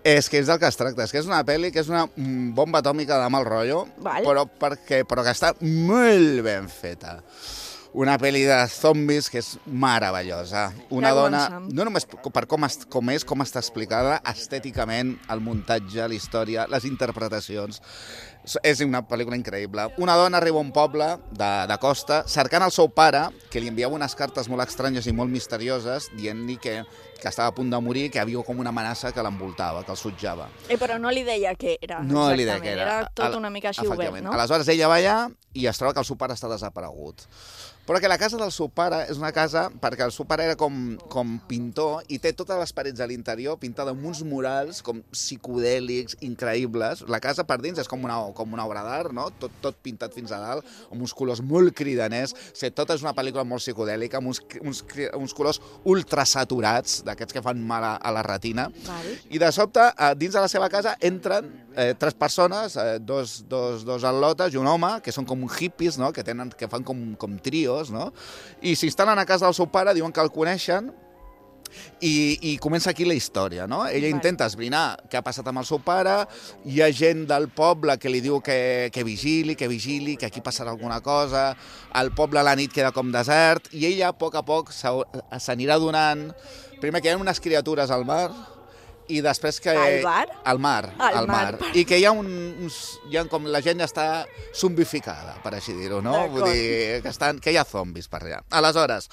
És que és del que es tracta, és que és una pel·li que és una bomba atòmica de mal rotllo, Val. però, perquè, però que està molt ben feta. Una pel·li de zombis que és meravellosa. Una dona, no només per com, est, com és, com està explicada, estèticament, el muntatge, la història, les interpretacions. És una pel·lícula increïble. Una dona arriba a un poble de, de costa cercant el seu pare, que li enviava unes cartes molt estranyes i molt misterioses, dient-li que, que estava a punt de morir, que havia com una amenaça que l'envoltava, que el sutjava. Eh, però no li deia què era. No li deia què era. Era tot una mica així obert, no? Aleshores ella va allà i es troba que el seu pare està desaparegut. Però que la casa del seu pare és una casa, perquè el seu pare era com, com pintor i té totes les parets a l'interior pintades amb uns murals com psicodèlics, increïbles. La casa per dins és com una, com una obra d'art, no? Tot, tot pintat fins a dalt, amb uns colors molt cridaners. O sigui, tot és una pel·lícula molt psicodèlica, amb uns, uns, uns colors ultrasaturats, d'aquests que fan mal a, a la retina. Vale. I de sobte, dins de la seva casa, entren eh, tres persones, eh, dos, dos, dos al·lotes i un home, que són com hippies, no? que, tenen, que fan com, com trios, no? I s'instal·len a casa del seu pare, diuen que el coneixen, I, i comença aquí la història, no? Ella vale. intenta esbrinar què ha passat amb el seu pare, hi ha gent del poble que li diu que, que vigili, que vigili, que aquí passarà alguna cosa, el poble a la nit queda com desert, i ella a poc a poc s'anirà donant, primer que hi ha unes criatures al mar, i després que... Al bar? Al mar, al, al mar. mar. I que hi ha un, uns... Hi ha com la gent ja està zombificada, per així dir-ho, no? Vull dir que, estan, que hi ha zombis per allà. Aleshores,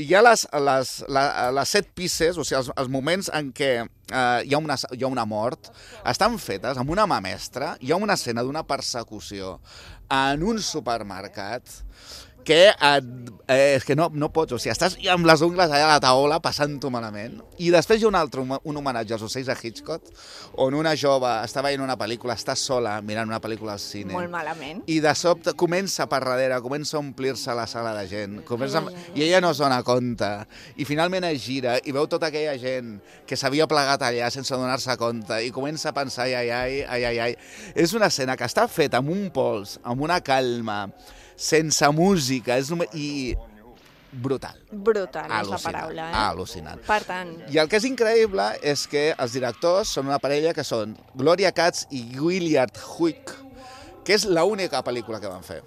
hi ha les, les, les, les set pieces, o sigui, els, els moments en què eh, hi, ha una, hi ha una mort, estan fetes amb una mà mestra, hi ha una escena d'una persecució en un supermercat que et, eh, és que no, no pots, o sigui, estàs amb les ungles allà a la taula passant-ho malament. I després hi ha un altre, un homenatge als ocells de Hitchcock, on una jove està veient una pel·lícula, està sola mirant una pel·lícula al cine. Molt malament. I de sobte comença per darrere, comença a omplir-se la sala de gent, comença, ai, ai, ai. i ella no es dona compte. I finalment es gira i veu tota aquella gent que s'havia plegat allà sense donar-se compte i comença a pensar, ai, ai, ai, ai, ai. És una escena que està feta amb un pols, amb una calma, sense música, és només... i brutal. Brutal, és la paraula. Eh? Al·lucinant. Per tant... I el que és increïble és que els directors són una parella que són Gloria Katz i Willard Huyck, que és l'única pel·lícula que van fer.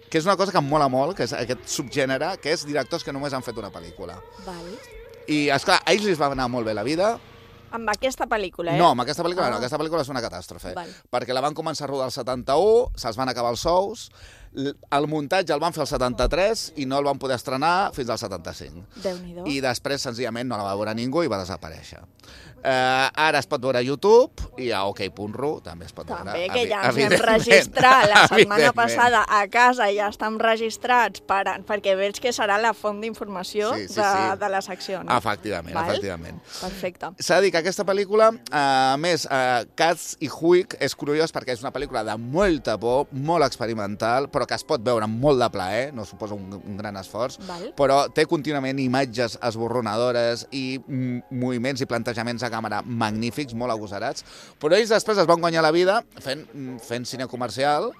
Que és una cosa que em mola molt, que és aquest subgènere, que és directors que només han fet una pel·lícula. Vale. I, esclar, a ells els va anar molt bé la vida. Amb aquesta pel·lícula, eh? No, amb aquesta pel·lícula ah. no, aquesta pel·lícula és una catàstrofe. Val. Perquè la van començar a rodar el setanta-u, se'ls van acabar els sous, el muntatge el van fer el setanta-tres i no el van poder estrenar fins al setanta-cinc. Déu-n'hi-do. I després, senzillament, no la va veure ningú i va desaparèixer. Eh, ara es pot veure a YouTube i a ok punt ru també es pot també, veure. També, que ja ens hem registrat la setmana passada a casa, ja estem registrats per, perquè veig que serà la font d'informació sí, sí, de, sí. de la secció. No? Efectivament, Val? efectivament. Perfecte. S'ha de dir que aquesta pel·lícula, eh, a més, eh, Katz i Huyck és curiós perquè és una pel·lícula de molta por, molt experimental, però que es pot veure amb molt de plaer, no suposa un, un gran esforç, Val. però té contínuament imatges esborronadores i moviments i plantejaments a càmera magnífics, molt agosarats, però ells després es van guanyar la vida fent, fent cine comercial,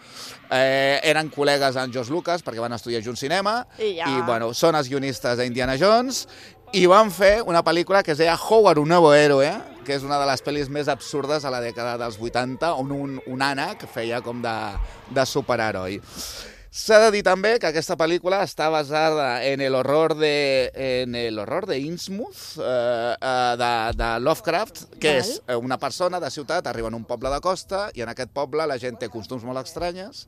eh, eren col·legues en George Lucas perquè van estudiar junts cinema, i, ja. i bueno, són els guionistes d'Indiana Jones, i van fer una pel·lícula que es deia Howard, un nuevo héroe, que és una de les pel·lis més absurdes a la dècada dels vuitanta, on un, un ànec feia com de, de superheroi. S'ha de dir també que aquesta pel·lícula està basada en el horror de, en el horror de Innsmouth, eh, de, de Lovecraft, que Val. és una persona de ciutat, arriba en un poble de costa, i en aquest poble la gent té costums molt estranyes.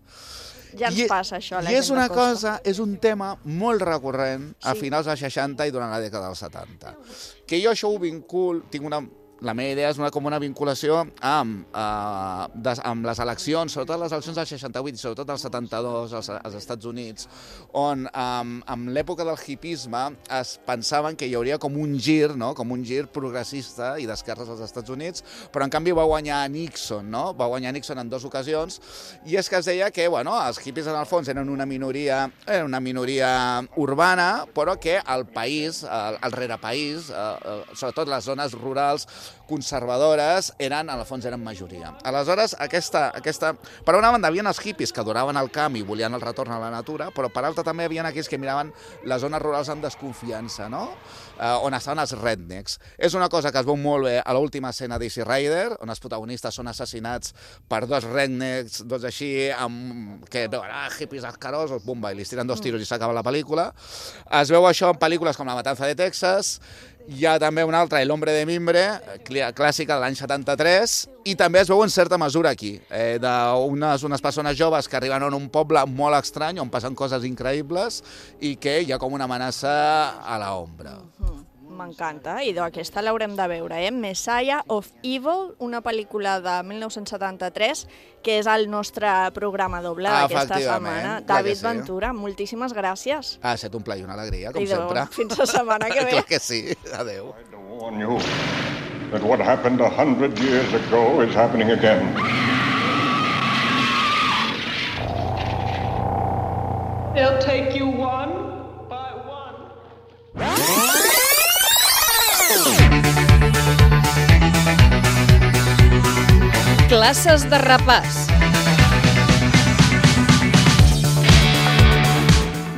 Ja ens I, passa això, la I gent és una de costa. cosa, és un tema molt recurrent a Sí. finals dels seixanta i durant la dècada dels setanta. Que jo això ho vincul, tinc una... La meva idea és una, com una vinculació amb, eh, des, amb les eleccions, sobretot les eleccions del seixanta-vuit i sobretot del setanta-dos als, als Estats Units, on amb, amb l'època del hipisme es pensaven que hi hauria com un gir, no? com un gir progressista i d'esquerres als Estats Units, però en canvi va guanyar Nixon, no? va guanyar Nixon en dues ocasions, i és que es deia que bueno, els hippies en el fons eren una minoria, eren una minoria urbana, però que el país, el, el rerepaís, eh, sobretot les zones rurals, conservadores, eren, en el fons, eren majoria. Aleshores, aquesta, aquesta... per una banda, havien els hippies que adoraven el camp i volien el retorn a la natura, però per altra també havien aquells que miraven les zones rurals amb desconfiança, no? Eh, on estaven els rednecks. És una cosa que es veu molt bé a l'última escena d'Easy Rider, on els protagonistes són assassinats per dos rednecks, dos així, amb... que veuen, ah, hippies asquerosos, bumba, i li tiren dos tiros i s'acaba la pel·lícula. Es veu això en pel·lícules com La matanza de Texas. Hi ha també una altra, El hombre de mimbre, clàssica de l'any setanta-tres, i també es veu en certa mesura aquí, eh, d'unes unes persones joves que arriben a un poble molt estrany, on passen coses increïbles, i que hi ha com una amenaça a l'ombra. Uh-huh. M'encanta, i aquesta l'haurem de veure, eh? Messiah of Evil, una pel·lícula de mil nou-cents setanta-tres, que és el nostre programa doble d'aquesta setmana. David sí. Ventura, moltíssimes gràcies. Ha estat un plaer i una alegria, com I sempre. Fins la setmana que ve. Clar que sí, adeu. warn you that what happened a hundred years ago is happening again. They'll take you one by one. Classes de repàs.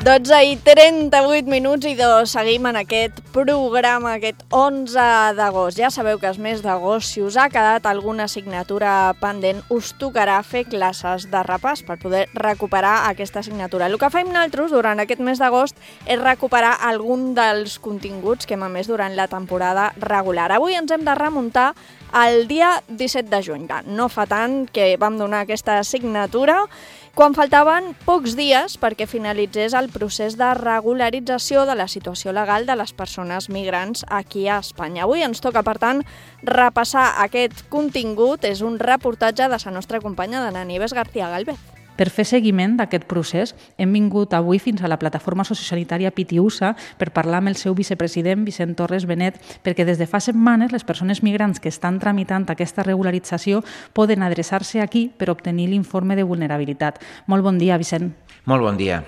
dotze i trenta-vuit minuts i dos. Seguim en aquest programa, aquest onze d'agost. Ja sabeu que el mes d'agost, si us ha quedat alguna assignatura pendent, us tocarà fer classes de repàs per poder recuperar aquesta assignatura. El que fem nosaltres durant aquest mes d'agost és recuperar algun dels continguts que hem emès durant la temporada regular. Avui ens hem de remuntar al dia disset de juny. No fa tant que vam donar aquesta assignatura, quan faltaven pocs dies perquè finalitzés el procés de regularització de la situació legal de les persones migrants aquí a Espanya. Avui ens toca, per tant, repassar aquest contingut. És un reportatge de la nostra companya d'Anna Nieves García Galvez. Per fer seguiment d'aquest procés, hem vingut avui fins a la plataforma sociosanitària Pitiusa per parlar amb el seu vicepresident, Vicent Torres Benet, perquè des de fa setmanes les persones migrants que estan tramitant aquesta regularització poden adreçar-se aquí per obtenir l'informe de vulnerabilitat. Molt bon dia, Vicent. Molt bon dia.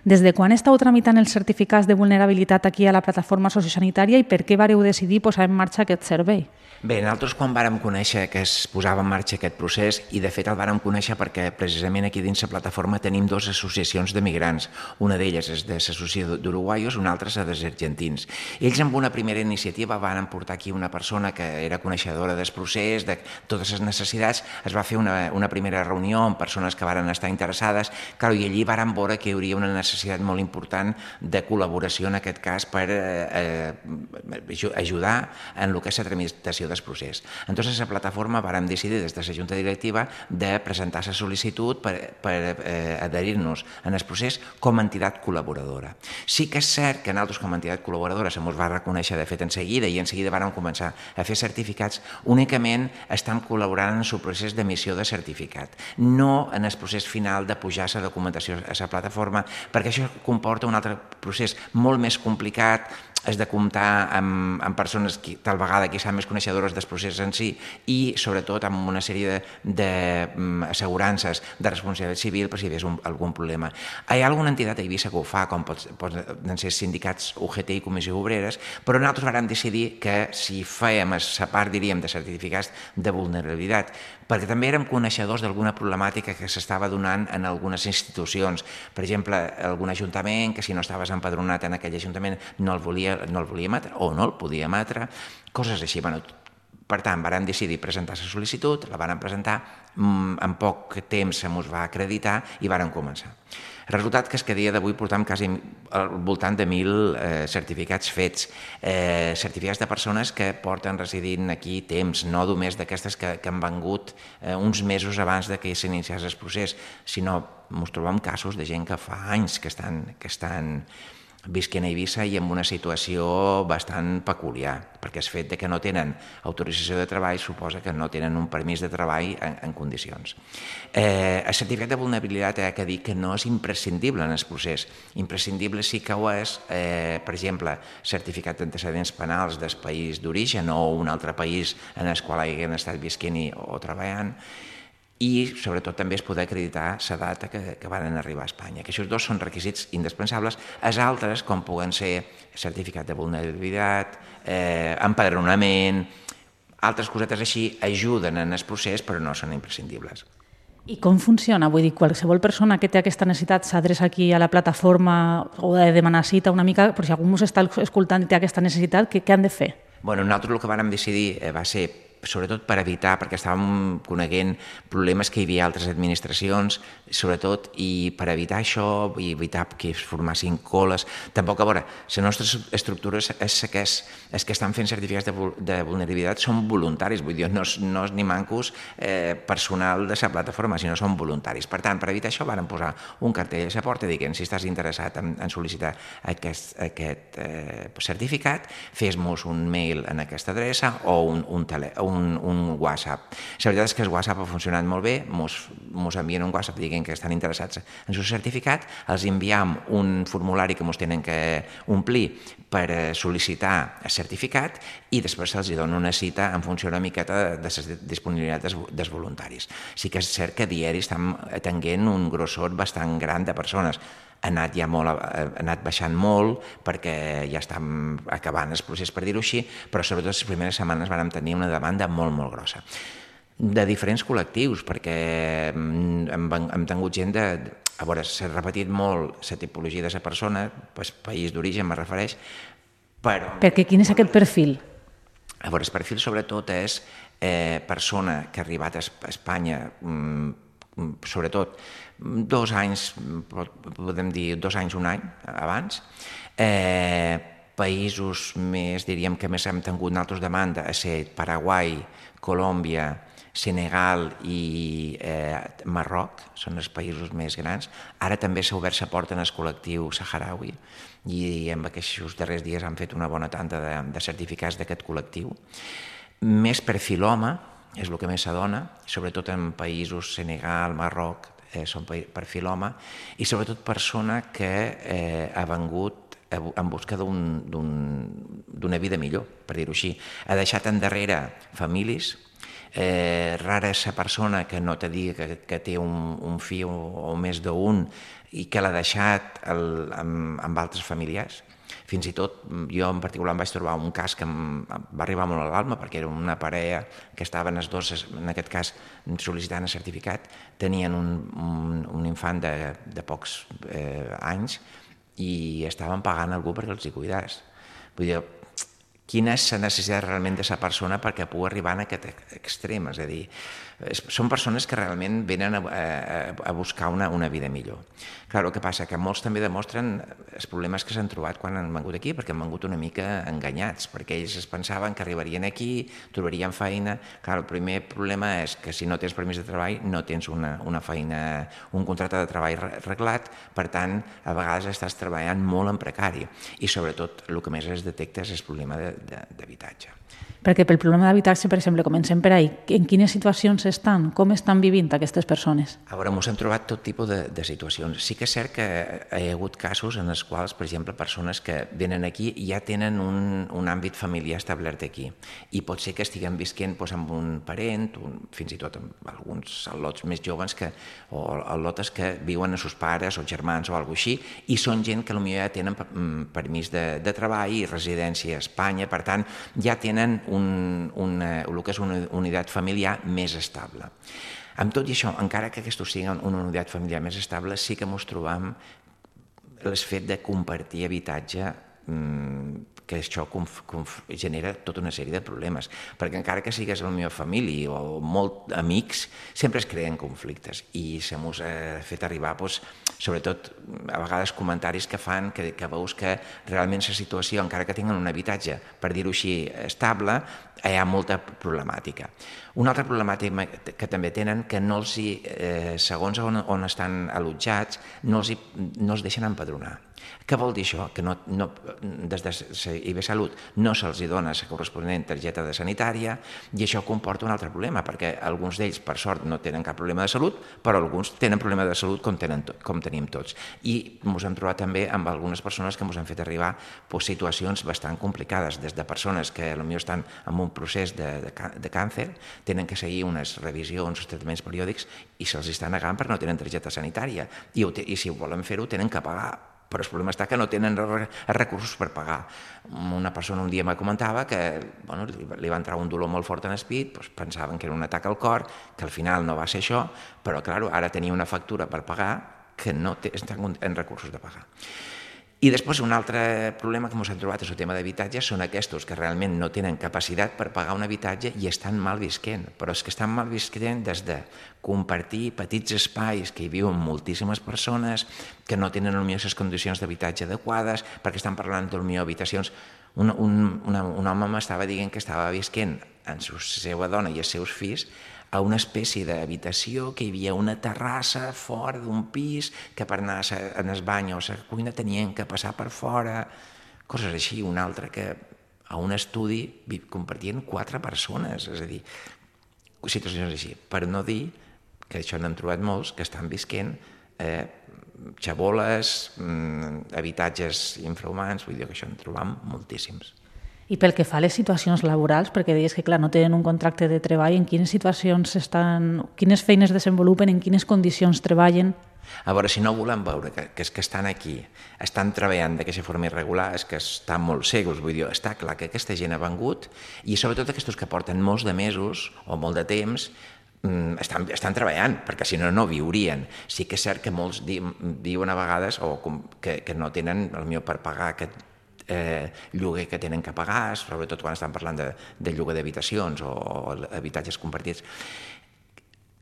Des de quan esteu tramitant els certificats de vulnerabilitat aquí a la plataforma sociosanitària i per què vareu decidir posar en marxa aquest servei? Bé, nosaltres quan vàrem conèixer que es posava en marxa aquest procés, i de fet el vàrem conèixer perquè precisament aquí dins la plataforma tenim dues associacions de migrants. Una d'elles és de l'Associació d'Uruguaios, una altra és dels argentins. Ells amb una primera iniciativa van portar aquí una persona que era coneixedora del procés, de totes les necessitats. Es va fer una, una primera reunió amb persones que varen estar interessades, clar, i allí vàrem veure que hi hauria una necessitat molt important de col·laboració en aquest cas per eh, eh, ajudar en el que és la tramitació del procés. Entonces, la plataforma vàrem decidir des de la Junta Directiva de presentar la sol·licitud per, per eh, adherir-nos en el procés com a entitat col·laboradora. Sí que és cert que nosaltres com a entitat col·laboradora se mos va reconèixer de fet en seguida i en seguida vàrem començar a fer certificats. Únicament estem col·laborant en el procés d'emissió de certificat, no en el procés final de pujar la documentació a la plataforma, perquè això comporta un altre procés molt més complicat. És de comptar amb, amb persones que tal vegada que són més coneixedores del procés en si i sobretot amb una sèrie d'assegurances de, de responsabilitat civil per si hi hagués un, algun problema. Hi ha alguna entitat a Eivissa que ho fa, com pot, poden ser sindicats U G T i Comissió Obreres, però nosaltres vàrem decidir que si fèiem la part, diríem, de certificats de vulnerabilitat, perquè també érem coneixedors d'alguna problemàtica que s'estava donant en algunes institucions. Per exemple, algun ajuntament que si no estaves empadronat en aquell ajuntament no el volia, no el volia emetre o no el podia emetre, coses així. Bueno, per tant, vàrem decidir presentar la sol·licitud, la vàrem presentar, en poc temps se mos va acreditar i vàrem començar. El resultat que és que a dia d'avui portam quasi al voltant de mil eh, certificats fets, eh, certificats de persones que porten residint aquí temps, no només d'aquestes que, que han vengut eh, uns mesos abans de que s'iniciés el procés, sinó ens trobem casos de gent que fa anys que estan, que estan visquent a Eivissa i en una situació bastant peculiar, perquè el fet que no tenen autorització de treball suposa que no tenen un permís de treball en, en condicions. Eh, el certificat de vulnerabilitat ha de dir que no és imprescindible en el procés. Imprescindible sí que ho és, eh, per exemple, certificat d'antecedents penals del país d'origen o un altre país en el qual hagin estat visquent o treballant, i sobretot també es poder acreditar la data que, que van arribar a Espanya, que aquests dos són requisits indispensables. Els altres, com puguen ser certificat de vulnerabilitat, eh, empadronament, altres cosetes així, ajuden en el procés però no són imprescindibles. I com funciona? Vull dir, qualsevol persona que té aquesta necessitat s'adreça aquí a la plataforma o de demanar cita una mica, però si algú ens està escoltant i té aquesta necessitat, què, què han de fer? Bueno, nosaltres el que vàrem decidir va ser sobretot per evitar, perquè estàvem coneguent problemes que hi havia a altres administracions, sobretot, i per evitar això, i evitar que es formassin coles. Tampoc, a veure, la nostra estructura és que és, és que estan fent certificats de, de vulnerabilitat, són voluntaris, vull dir, no és, no és ni mancos eh, personal de la plataforma, sinó són voluntaris. Per tant, per evitar això, vàrem posar un cartell a la porta dient si estàs interessat en, en sol·licitar aquest, aquest eh, certificat, fes-nos un mail en aquesta adreça o un, un telèfon, Un, un WhatsApp. La veritat és que el WhatsApp ha funcionat molt bé, ens envien un WhatsApp dient que estan interessats en el certificat, els enviem un formulari que ens tenen que omplir per sol·licitar el certificat i després se'ls dona una cita en funció una miqueta de la disponibilitat dels voluntaris. Sí que és cert que a diari estem atenguent un grossor bastant gran de persones. ha anat, ja molt, ha anat baixant molt perquè ja estem acabant el procés, per dir-ho així, però sobretot les primeres setmanes vam tenir una demanda molt, molt grossa. De diferents col·lectius, perquè hem, hem tingut gent de... A veure, s'ha repetit molt la tipologia de la persona, pues, país d'origen me refereix, però... Perquè quin és aquest perfil? A veure, el perfil sobretot és eh, persona que ha arribat a Espanya, mm, sobretot dos anys, podem dir dos anys, un any abans, eh, països més, diríem que més hem tingut nosaltres demanda, a ser Paraguai, Colòmbia, Senegal i eh, Marroc, són els països més grans. Ara també s'ha obert la porta en el col·lectiu saharaui i en aquests darrers dies han fet una bona tanda de, de certificats d'aquest col·lectiu. Més perfil home, és el que més s'adona, sobretot en països Senegal, Marroc, eh, són perfil home, i sobretot persona que eh, ha vengut en busca d'una vida millor, per dir-ho així. Ha deixat endarrere famílies. Eh, rara és la persona que no te digui que, que té un, un fill o, o més d'un i que l'ha deixat el, amb, amb altres familiars. Fins i tot, jo en particular em vaig trobar un cas que em va arribar molt a l'alma perquè era una parella que estaven els dos, en aquest cas sol·licitant el certificat, tenien un, un, un infant de, de pocs eh, anys i estaven pagant algú perquè els hi cuidés. Vull dir, quina és la necessitat realment de la persona perquè pugui arribar a aquest extrem, és a dir, són persones que realment venen a, a, a buscar una, una vida millor. Clar, el que passa que molts també demostren els problemes que s'han trobat quan han vengut aquí, perquè han vengut una mica enganyats, perquè ells es pensaven que arribarien aquí, trobarien feina. Clar, el primer problema és que si no tens permís de treball no tens una, una feina, un contracte de treball reglat, per tant, a vegades estàs treballant molt en precari i sobretot el que més es detecta és el problema d'habitatge. Perquè pel problema d'habitatge, per exemple, comencem per ahí. En quines situacions estan? Com estan vivint aquestes persones? A veure, ens hem trobat tot tipus de, de situacions. Sí que és cert que hi ha hagut casos en els quals, per exemple, persones que venen aquí i ja tenen un, un àmbit familiar establert aquí i pot ser que estiguem visquent doncs, amb un parent, un, fins i tot amb alguns al·lots més joves que, o al·lotes que viuen amb seus pares o germans o alguna cosa així i són gent que potser ja tenen permís de, de treball i residència a Espanya, per tant, ja tenen un, una, el que és una unitat familiar més estable. Amb tot i això, encara que aquesta sigui una unitat familiar més estable, sí que ens trobam el fet de compartir habitatge, que això genera tota una sèrie de problemes, perquè encara que sigues la meva família o molt amics, sempre es creen conflictes i se mos ha fet arribar, doncs, sobretot a vegades comentaris que fan que, que veus que realment la situació, encara que tinguin un habitatge, per dir-ho així, estable, hi ha molta problemàtica. Una altra problemàtica que també tenen que no els hi, eh, segons on, on estan allotjats, no els, hi, no els deixen empadronar. Què vol dir això? Que no, no, des de I B Salut no se'ls dona la corresponent targeta de sanitària i això comporta un altre problema, perquè alguns d'ells, per sort, no tenen cap problema de salut, però alguns tenen problema de salut com, tenen, com tenim tots. I ens hem trobat també amb algunes persones que ens han fet arribar pues, situacions bastant complicades, des de persones que potser estan en un procés de, de, de càncer, tenen que seguir unes revisions, uns tractaments periòdics i se'ls està negant perquè no tenen targeta sanitària i, i si volen fer-ho tenen que pagar. Però el problema està que no tenen recursos per pagar. Una persona un dia me comentava que bueno, li va entrar un dolor molt fort en el pit, doncs pensaven que era un atac al cor, que al final no va ser això, però clar, ara tenia una factura per pagar que no estan en recursos de pagar. I després un altre problema que ens hem trobat és el tema d'habitatge, són aquests que realment no tenen capacitat per pagar un habitatge i estan mal visquent, però és que estan mal visquent des de compartir petits espais que hi viuen moltíssimes persones que no tenen potser les condicions d'habitatge adequades, perquè estan parlant potser habitacions. Un, un, una, un home m'estava dient que estava visquent amb la seva dona i els seus fills a una espècie d'habitació que hi havia una terrassa fora d'un pis que per anar en el bany o a la cuina tenien que passar per fora, coses així. Un altre que a un estudi compartien quatre persones, és a dir, situacions així. Per no dir, que això n'hem trobat molts, que estan visquent eh, xaboles, mm, habitatges infrahumans, vull dir que això en trobam moltíssims. I pel que fa a les situacions laborals, perquè deies que clar, no tenen un contracte de treball, en quines situacions estan, quines feines desenvolupen, en quines condicions treballen? A veure, si no volem veure que, que és que estan aquí, estan treballant d'aquesta forma irregular, és que estan molt segurs, vull dir, està clar que aquesta gent ha vengut i sobretot aquests que porten molts de mesos o molt de temps estan, estan treballant, perquè si no, no viurien. Sí que és cert que molts di, diuen a vegades o com, que, que no tenen el millor per pagar aquest Eh, lloguer que tenen que pagar, sobretot quan estan parlant de, de lloguer d'habitacions o, o habitatges compartits.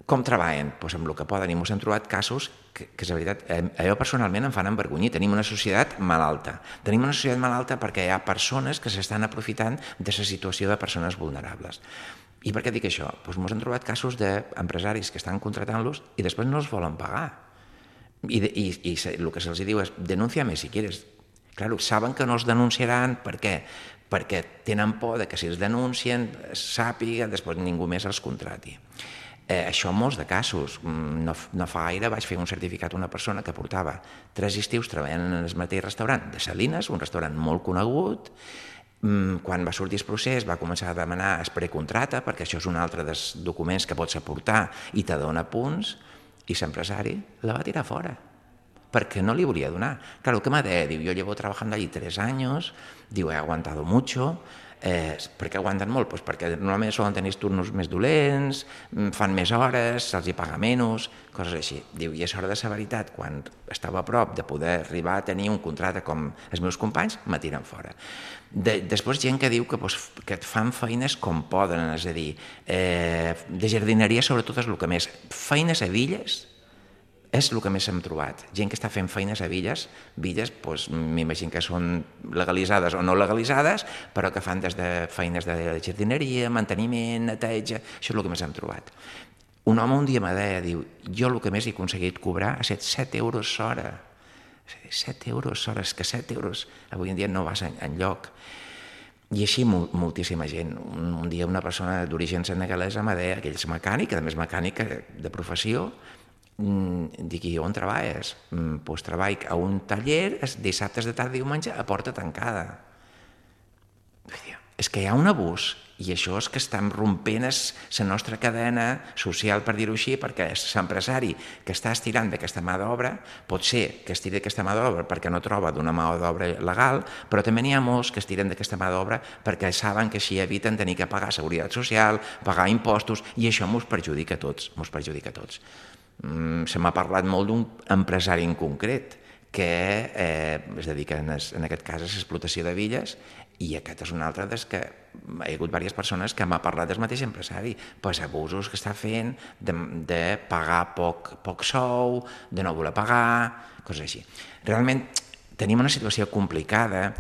Com treballen? Pues amb el que poden, i ens hem trobat casos que, que és veritat, eh, allò personalment em fan envergonyir. Tenim una societat malalta. Tenim una societat malalta perquè hi ha persones que s'estan aprofitant de la situació de persones vulnerables. I per què dic això? Pues ens hem trobat casos d'empresaris que estan contratant-los i després no els volen pagar. I, i, i el que se'ls diu és denúnciame si quieres. Claro, saben que no els denunciaran, per què? Perquè tenen por que si els denuncien sàpiga, després ningú més els contrati. Eh, això en molts de casos. No, no fa gaire vaig fer un certificat a una persona que portava tres estius treballant en el mateix restaurant de Salines, un restaurant molt conegut. Quan va sortir el procés va començar a demanar el precontrata, perquè això és un altre dels documents que pots aportar i te dona punts, i l'empresari la va tirar fora, porque no le volia donar. Claro, ¿qué me de? Diu, yo llevo trabajando allí tres años, diu, he aguantado mucho. Eh, per què aguanten molt? Pues perquè normalment solen tenir turnos més dolents, fan més hores, se'ls hi paga menys, coses així. Diu, i és hora de severitat, quan estava a prop de poder arribar a tenir un contracte com els meus companys, me tiren fora. De, després gent que diu que, pues, que fan feines com poden, és a dir, eh, de jardineria sobretot és el que més. Feines a Villes és el que més hem trobat. Gent que està fent feines a villes, villes, doncs, m'imagino que són legalitzades o no legalitzades, però que fan des de feines de jardineria, manteniment, neteja, això és el que més hem trobat. Un home un dia me deia, diu, jo el que més he aconseguit cobrar ha estat set euros l'hora. set euros l'hora, és que set euros avui en dia no vas enlloc. I així moltíssima gent. Un, un dia una persona d'origen senegalesa me deia que ell és mecànic, a més mecànic de professió. Dic, i on treballes? Doncs treballo a un taller dissabtes de tarda i diumenge a porta tancada. És que hi ha un abús i això és que estem rompent la nostra cadena social, per dir-ho així, perquè l'empresari que està estirant d'aquesta mà d'obra pot ser que estiri d'aquesta mà d'obra perquè no troba d'una mà d'obra legal, però també n'hi ha molts que estiren d'aquesta mà d'obra perquè saben que així eviten tenir que pagar seguretat social, pagar impostos, i això ens perjudica a tots, ens perjudica a tots. Se m'ha parlat molt d'un empresari en concret que eh, es dedica en, es, en aquest cas a l'explotació de villes, i aquest és un altre des que hi ha hagut diverses persones que m'ha parlat del mateix empresari, pues abusos que està fent de, de pagar poc, poc sou, de no voler pagar, coses així. Realment tenim una situació complicada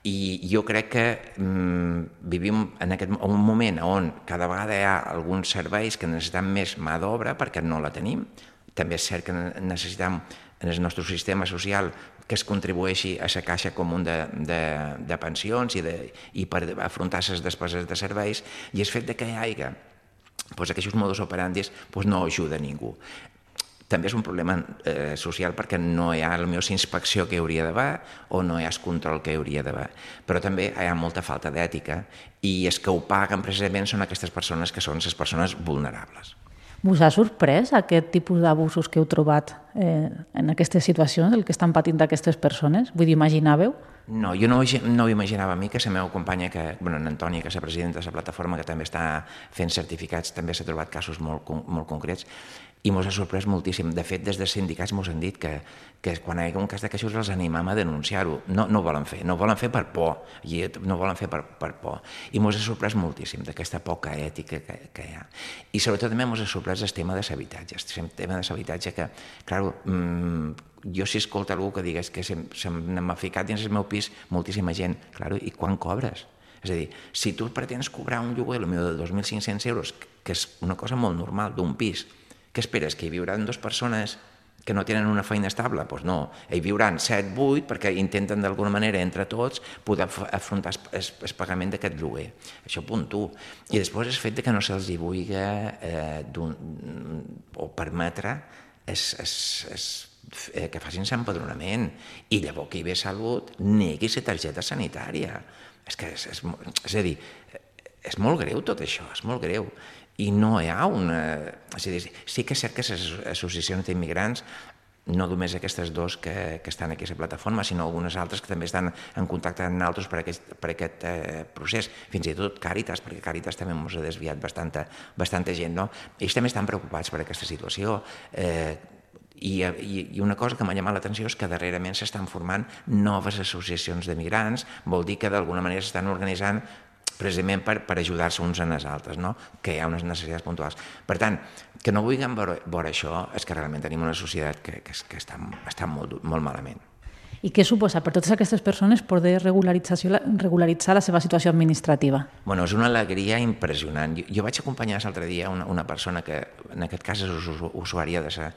i jo crec que mm, vivim en aquest, un moment on cada vegada hi ha alguns serveis que necessitem més mà d'obra perquè no la tenim. També és cert que necessitem en el nostre sistema social que es contribueixi a la caixa comú de, de, de pensions i, de, i per afrontar les despeses de serveis, i el fet que hi hagi pues, aquests modus operandis pues, no ajuda a ningú. També és un problema eh, social perquè no hi ha la millor inspecció que hi hauria d'haver o no hi ha el control que hi hauria d'haver. Però també hi ha molta falta d'ètica i els que ho paguen precisament són aquestes persones que són les persones vulnerables. Us ha sorprès aquest tipus d'abusos que heu trobat eh, en aquestes situacions, el que estan patint aquestes persones? Vull dir, imaginàveu? No, jo no, no ho imaginava a mi, que la meva companya, que, bueno, en Antònia, que és la presidenta de la plataforma, que també està fent certificats, també s'ha trobat casos molt, molt concrets, i ens ha sorprès moltíssim. De fet, des dels sindicats ens han dit que, que quan hi ha un cas de casos els animam a denunciar-ho. No, no ho volen fer, no ho volen fer per por, i no ho volen fer per, per por. I ens ha sorprès moltíssim d'aquesta poca ètica que, que hi ha. I sobretot també ens ha sorprès el tema de l'habitatge, el tema de l'habitatge que, clar, mmm, jo si escolta algú que digués que se, se m'ha ficat dins el meu pis moltíssima gent, clar, i quan cobres? És a dir, si tu pretens cobrar un lloguer potser de dos mil cinc-cents euros, que és una cosa molt normal d'un pis, què esperes? Que hi viuran dues persones que no tenen una feina estable? Doncs no, hi viuran set, vuit, perquè intenten d'alguna manera entre tots poder afrontar el pagament d'aquest lloguer. Això punt u. I després el fet que no se'ls hi vulgui eh, o permetre es, es, es, eh, que facin l'empadronament i llavors que hi ve Salut negui la targeta sanitària. És que és, és, és a dir, és molt greu tot això, és molt greu. I no hi ha una... És a dir, sí que és cert que les associacions d'immigrants no només aquestes dos que, que estan aquí a la plataforma, sinó algunes altres que també estan en contacte amb nosaltres per aquest, per aquest eh, procés. Fins i tot Càritas, perquè Càritas també ens ha desviat bastanta, bastanta gent, no? Ells també estan preocupats per aquesta situació. Eh, i, i, I una cosa que m'ha llamat l'atenció és que darrerament s'estan formant noves associacions de migrants, vol dir que d'alguna manera s'estan organitzant precisament per, per ajudar-se uns en els altres, no? Que hi ha unes necessitats puntuals. Per tant, que no vulguem veure, veure això és que realment tenim una societat que, que, que està, està molt, molt malament. I què suposa per totes aquestes persones poder regularitzar, regularitzar la seva situació administrativa? Bueno, és una alegria impressionant. Jo, jo vaig acompanyar l'altre dia una, una persona que en aquest cas és usuària de sa,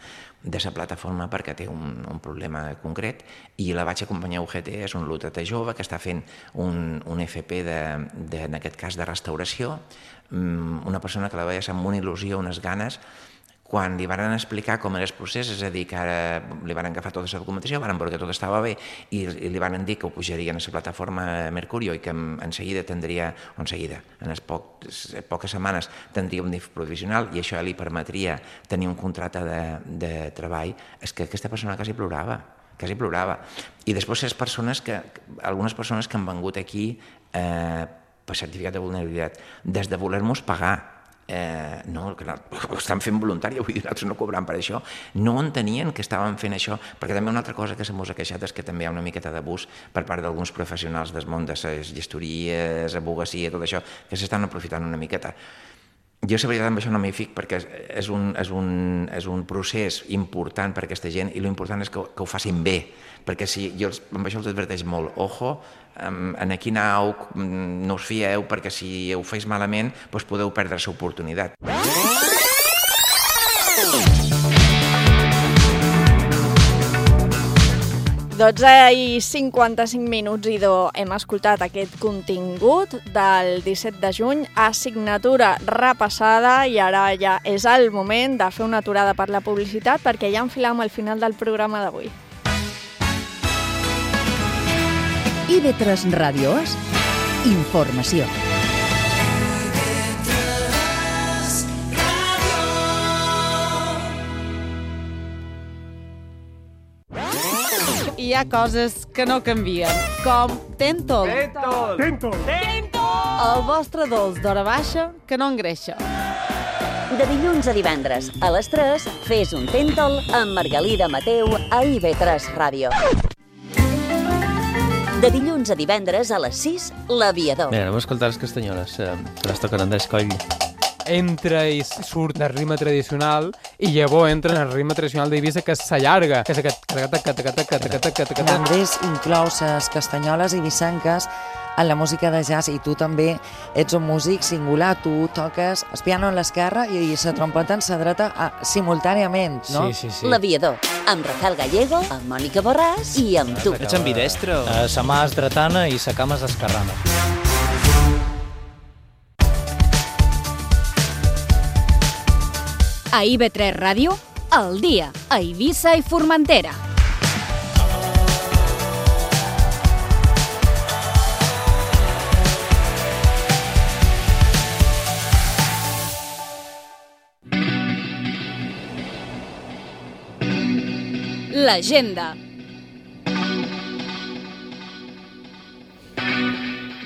de sa plataforma perquè té un, un problema concret i la vaig acompanyar a U G T, és un lutetà jove que està fent un, un F P de, de, en aquest cas de restauració, una persona que la veia amb una il·lusió, unes ganes. Quan li van explicar com era el procés, és a dir, que ara li van agafar tota la documentació, van veure que tot estava bé i li van dir que ho pujarien a la plataforma Mercurio i que en seguida tindria, o en seguida, en les poques setmanes tindria un D I F provisional i això li permetria tenir un contracte de, de treball. És que aquesta persona quasi plorava, quasi plorava. I després les persones que, algunes persones que han vengut aquí eh, per certificat de vulnerabilitat, des de voler-nos pagar, Eh, no, que ho estan fent voluntari, vull dir, nosaltres no cobrant per això, no entenien que estàvem fent això, perquè també una altra cosa que se mos ha queixat és que també hi ha una miqueta d'abús per part d'alguns professionals del món de les gestories, abogacia, tot això, que s'estan aprofitant una miqueta. Jo, la veritat, amb això no m'hi fic perquè és un, és, un, és un procés important per a aquesta gent i l'important és que, que ho facin bé, perquè si jo amb això els adverteix molt, ojo, en aquí anau, no us fieu, perquè si ho feis malament doncs podeu perdre l'oportunitat. dotze i cinquanta-cinc minuts, idò, hem escoltat aquest contingut del disset de juny, assignatura repassada, i ara ja és el moment de fer una aturada per la publicitat perquè ja enfilem al final del programa d'avui. I V tres Ràdio és informació. Hi ha coses que no canvien, com Tentol. Tentol! Tentol! Tentol! El vostre dolç d'hora baixa que no engreixa. De dilluns a divendres, a les tres, fes un Tentol amb Margalida Mateu a I V tres Ràdio. De dilluns a divendres, a les sis, l'Aviador. Mira, anem a escoltar les castanyoles, eh, que les toquen Andrés Coll. Entra i surt el ritme tradicional i llavors entra en el ritme tradicional d'Eivissa que s'allarga, que és aquest... Andrés inclou les castanyoles eivissenques en la música de jazz i tu també ets un músic singular, tu toques el piano en l'esquerra i la trompeta en la dreta simultàniament, no? Sí, sí, sí. L'Aviador, amb Rafael Gallego, amb Mònica Borràs i amb tu. Ets ambidestre? Uh, sa mà és dretana i sa cama és esquerrana. A I V tres Ràdio, al dia, a Eivissa i Formentera. L'agenda.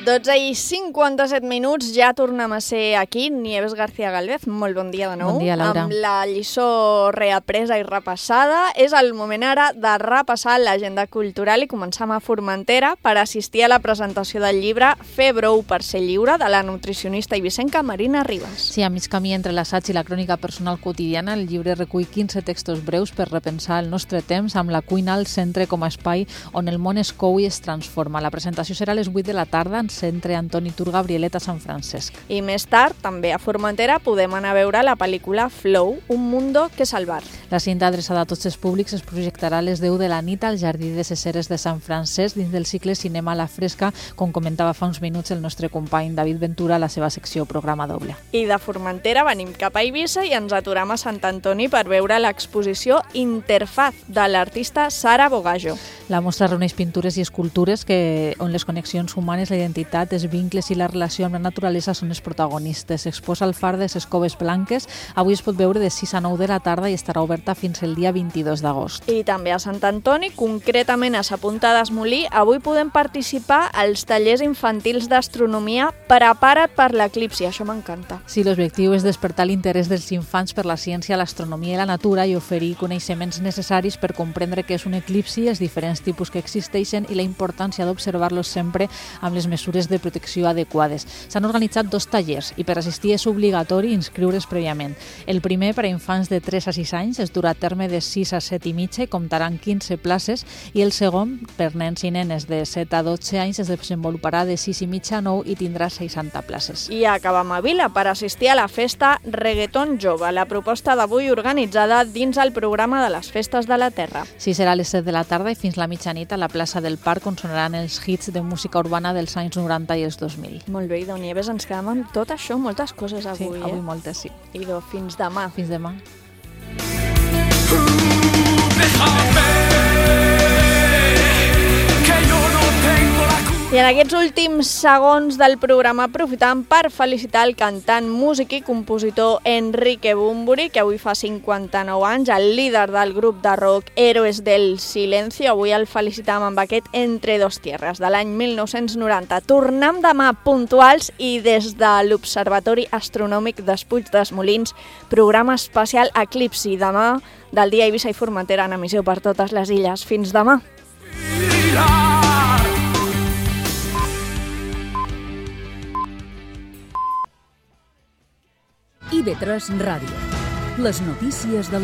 dotze i cinquanta-set minuts, ja tornem a ser aquí. Nieves García Galvez, molt bon dia de nou. Bon dia, Laura. Amb la lliçó reapresa i repassada, és el moment ara de repassar l'agenda cultural i començar a Formentera per assistir a la presentació del llibre Fer brou per ser lliure, de la nutricionista eivissenca Marina Ribas. Sí, a mig camí entre l'assaig i la crònica personal quotidiana, el llibre recull quinze textos breus per repensar el nostre temps amb la cuina al centre com a espai on el món es cou i es transforma. La presentació serà a les vuit de la tarda en Centre Antoni Tur Gabrieleta Sant Francesc. I més tard, també a Formentera, podem anar a veure la pel·lícula Flow, un mundo que salvar. La cinta adreçada a tots els públics es projectarà a les deu de la nit al Jardí de ses Eres de Sant Francesc dins del cicle Cinema a la Fresca, com comentava fa uns minuts el nostre company David Ventura a la seva secció Programa Doble. I de Formentera venim cap a Eivissa i ens aturem a Sant Antoni per veure l'exposició Interfaz de l'artista Sara Bogajo. La mostra reuneix pintures i escultures que, on les connexions humanes, la identitat, els vincles i la relació amb la naturalesa són els protagonistes. S'exposa al far de les Coves Blanques. Avui es pot veure de sis a nou de la tarda i estarà oberta fins el dia vint-i-dos d'agost. I també a Sant Antoni, concretament a Sa Punta d'Esmolí, avui podem participar als tallers infantils d'astronomia Prepara't per l'eclipsi. Això m'encanta. Sí, l'objectiu és despertar l'interès dels infants per la ciència, l'astronomia i la natura i oferir coneixements necessaris per comprendre què és un eclipsi, els diferents tipus que existeixen i la importància d'observar-los sempre amb les mesures de protecció adequades. S'han organitzat dos tallers i per assistir és obligatori inscriure's prèviament. El primer, per a infants de tres a sis anys, es durà a terme de sis a set i mitja i comptaran quinze places, i el segon, per nens i nenes de set a dotze anys, es desenvoluparà de sis i mitja a nou i tindrà seixanta places. I acabam a Vila per assistir a la festa Reggaeton Jove, la proposta d'avui organitzada dins el programa de les Festes de la Terra. Sí, serà a les set de la tarda i fins la mitjanit a la plaça del Parc, on sonaran els hits de música urbana dels anys noranta i els dos mil. Molt bé, i d'on Nieves, ens quedem amb tot això, moltes coses avui, sí, avui eh? moltes, sí. I do, fins demà. Fins demà. I en aquests últims segons del programa aprofitam per felicitar el cantant, músic i compositor Enrique Bunbury, que avui fa cinquanta-nou anys, el líder del grup de rock Héroes del Silencio. Avui el felicitam amb aquest Entre dos tierras de l'any mil nou-cents noranta. Tornem demà puntuals i des de l'Observatori Astronòmic d'Espuig dels Molins, programa especial Eclipsi, demà del dia Eivissa i Formentera en emissió per totes les illes. Fins demà! I ve tres Ràdio. Les notícies de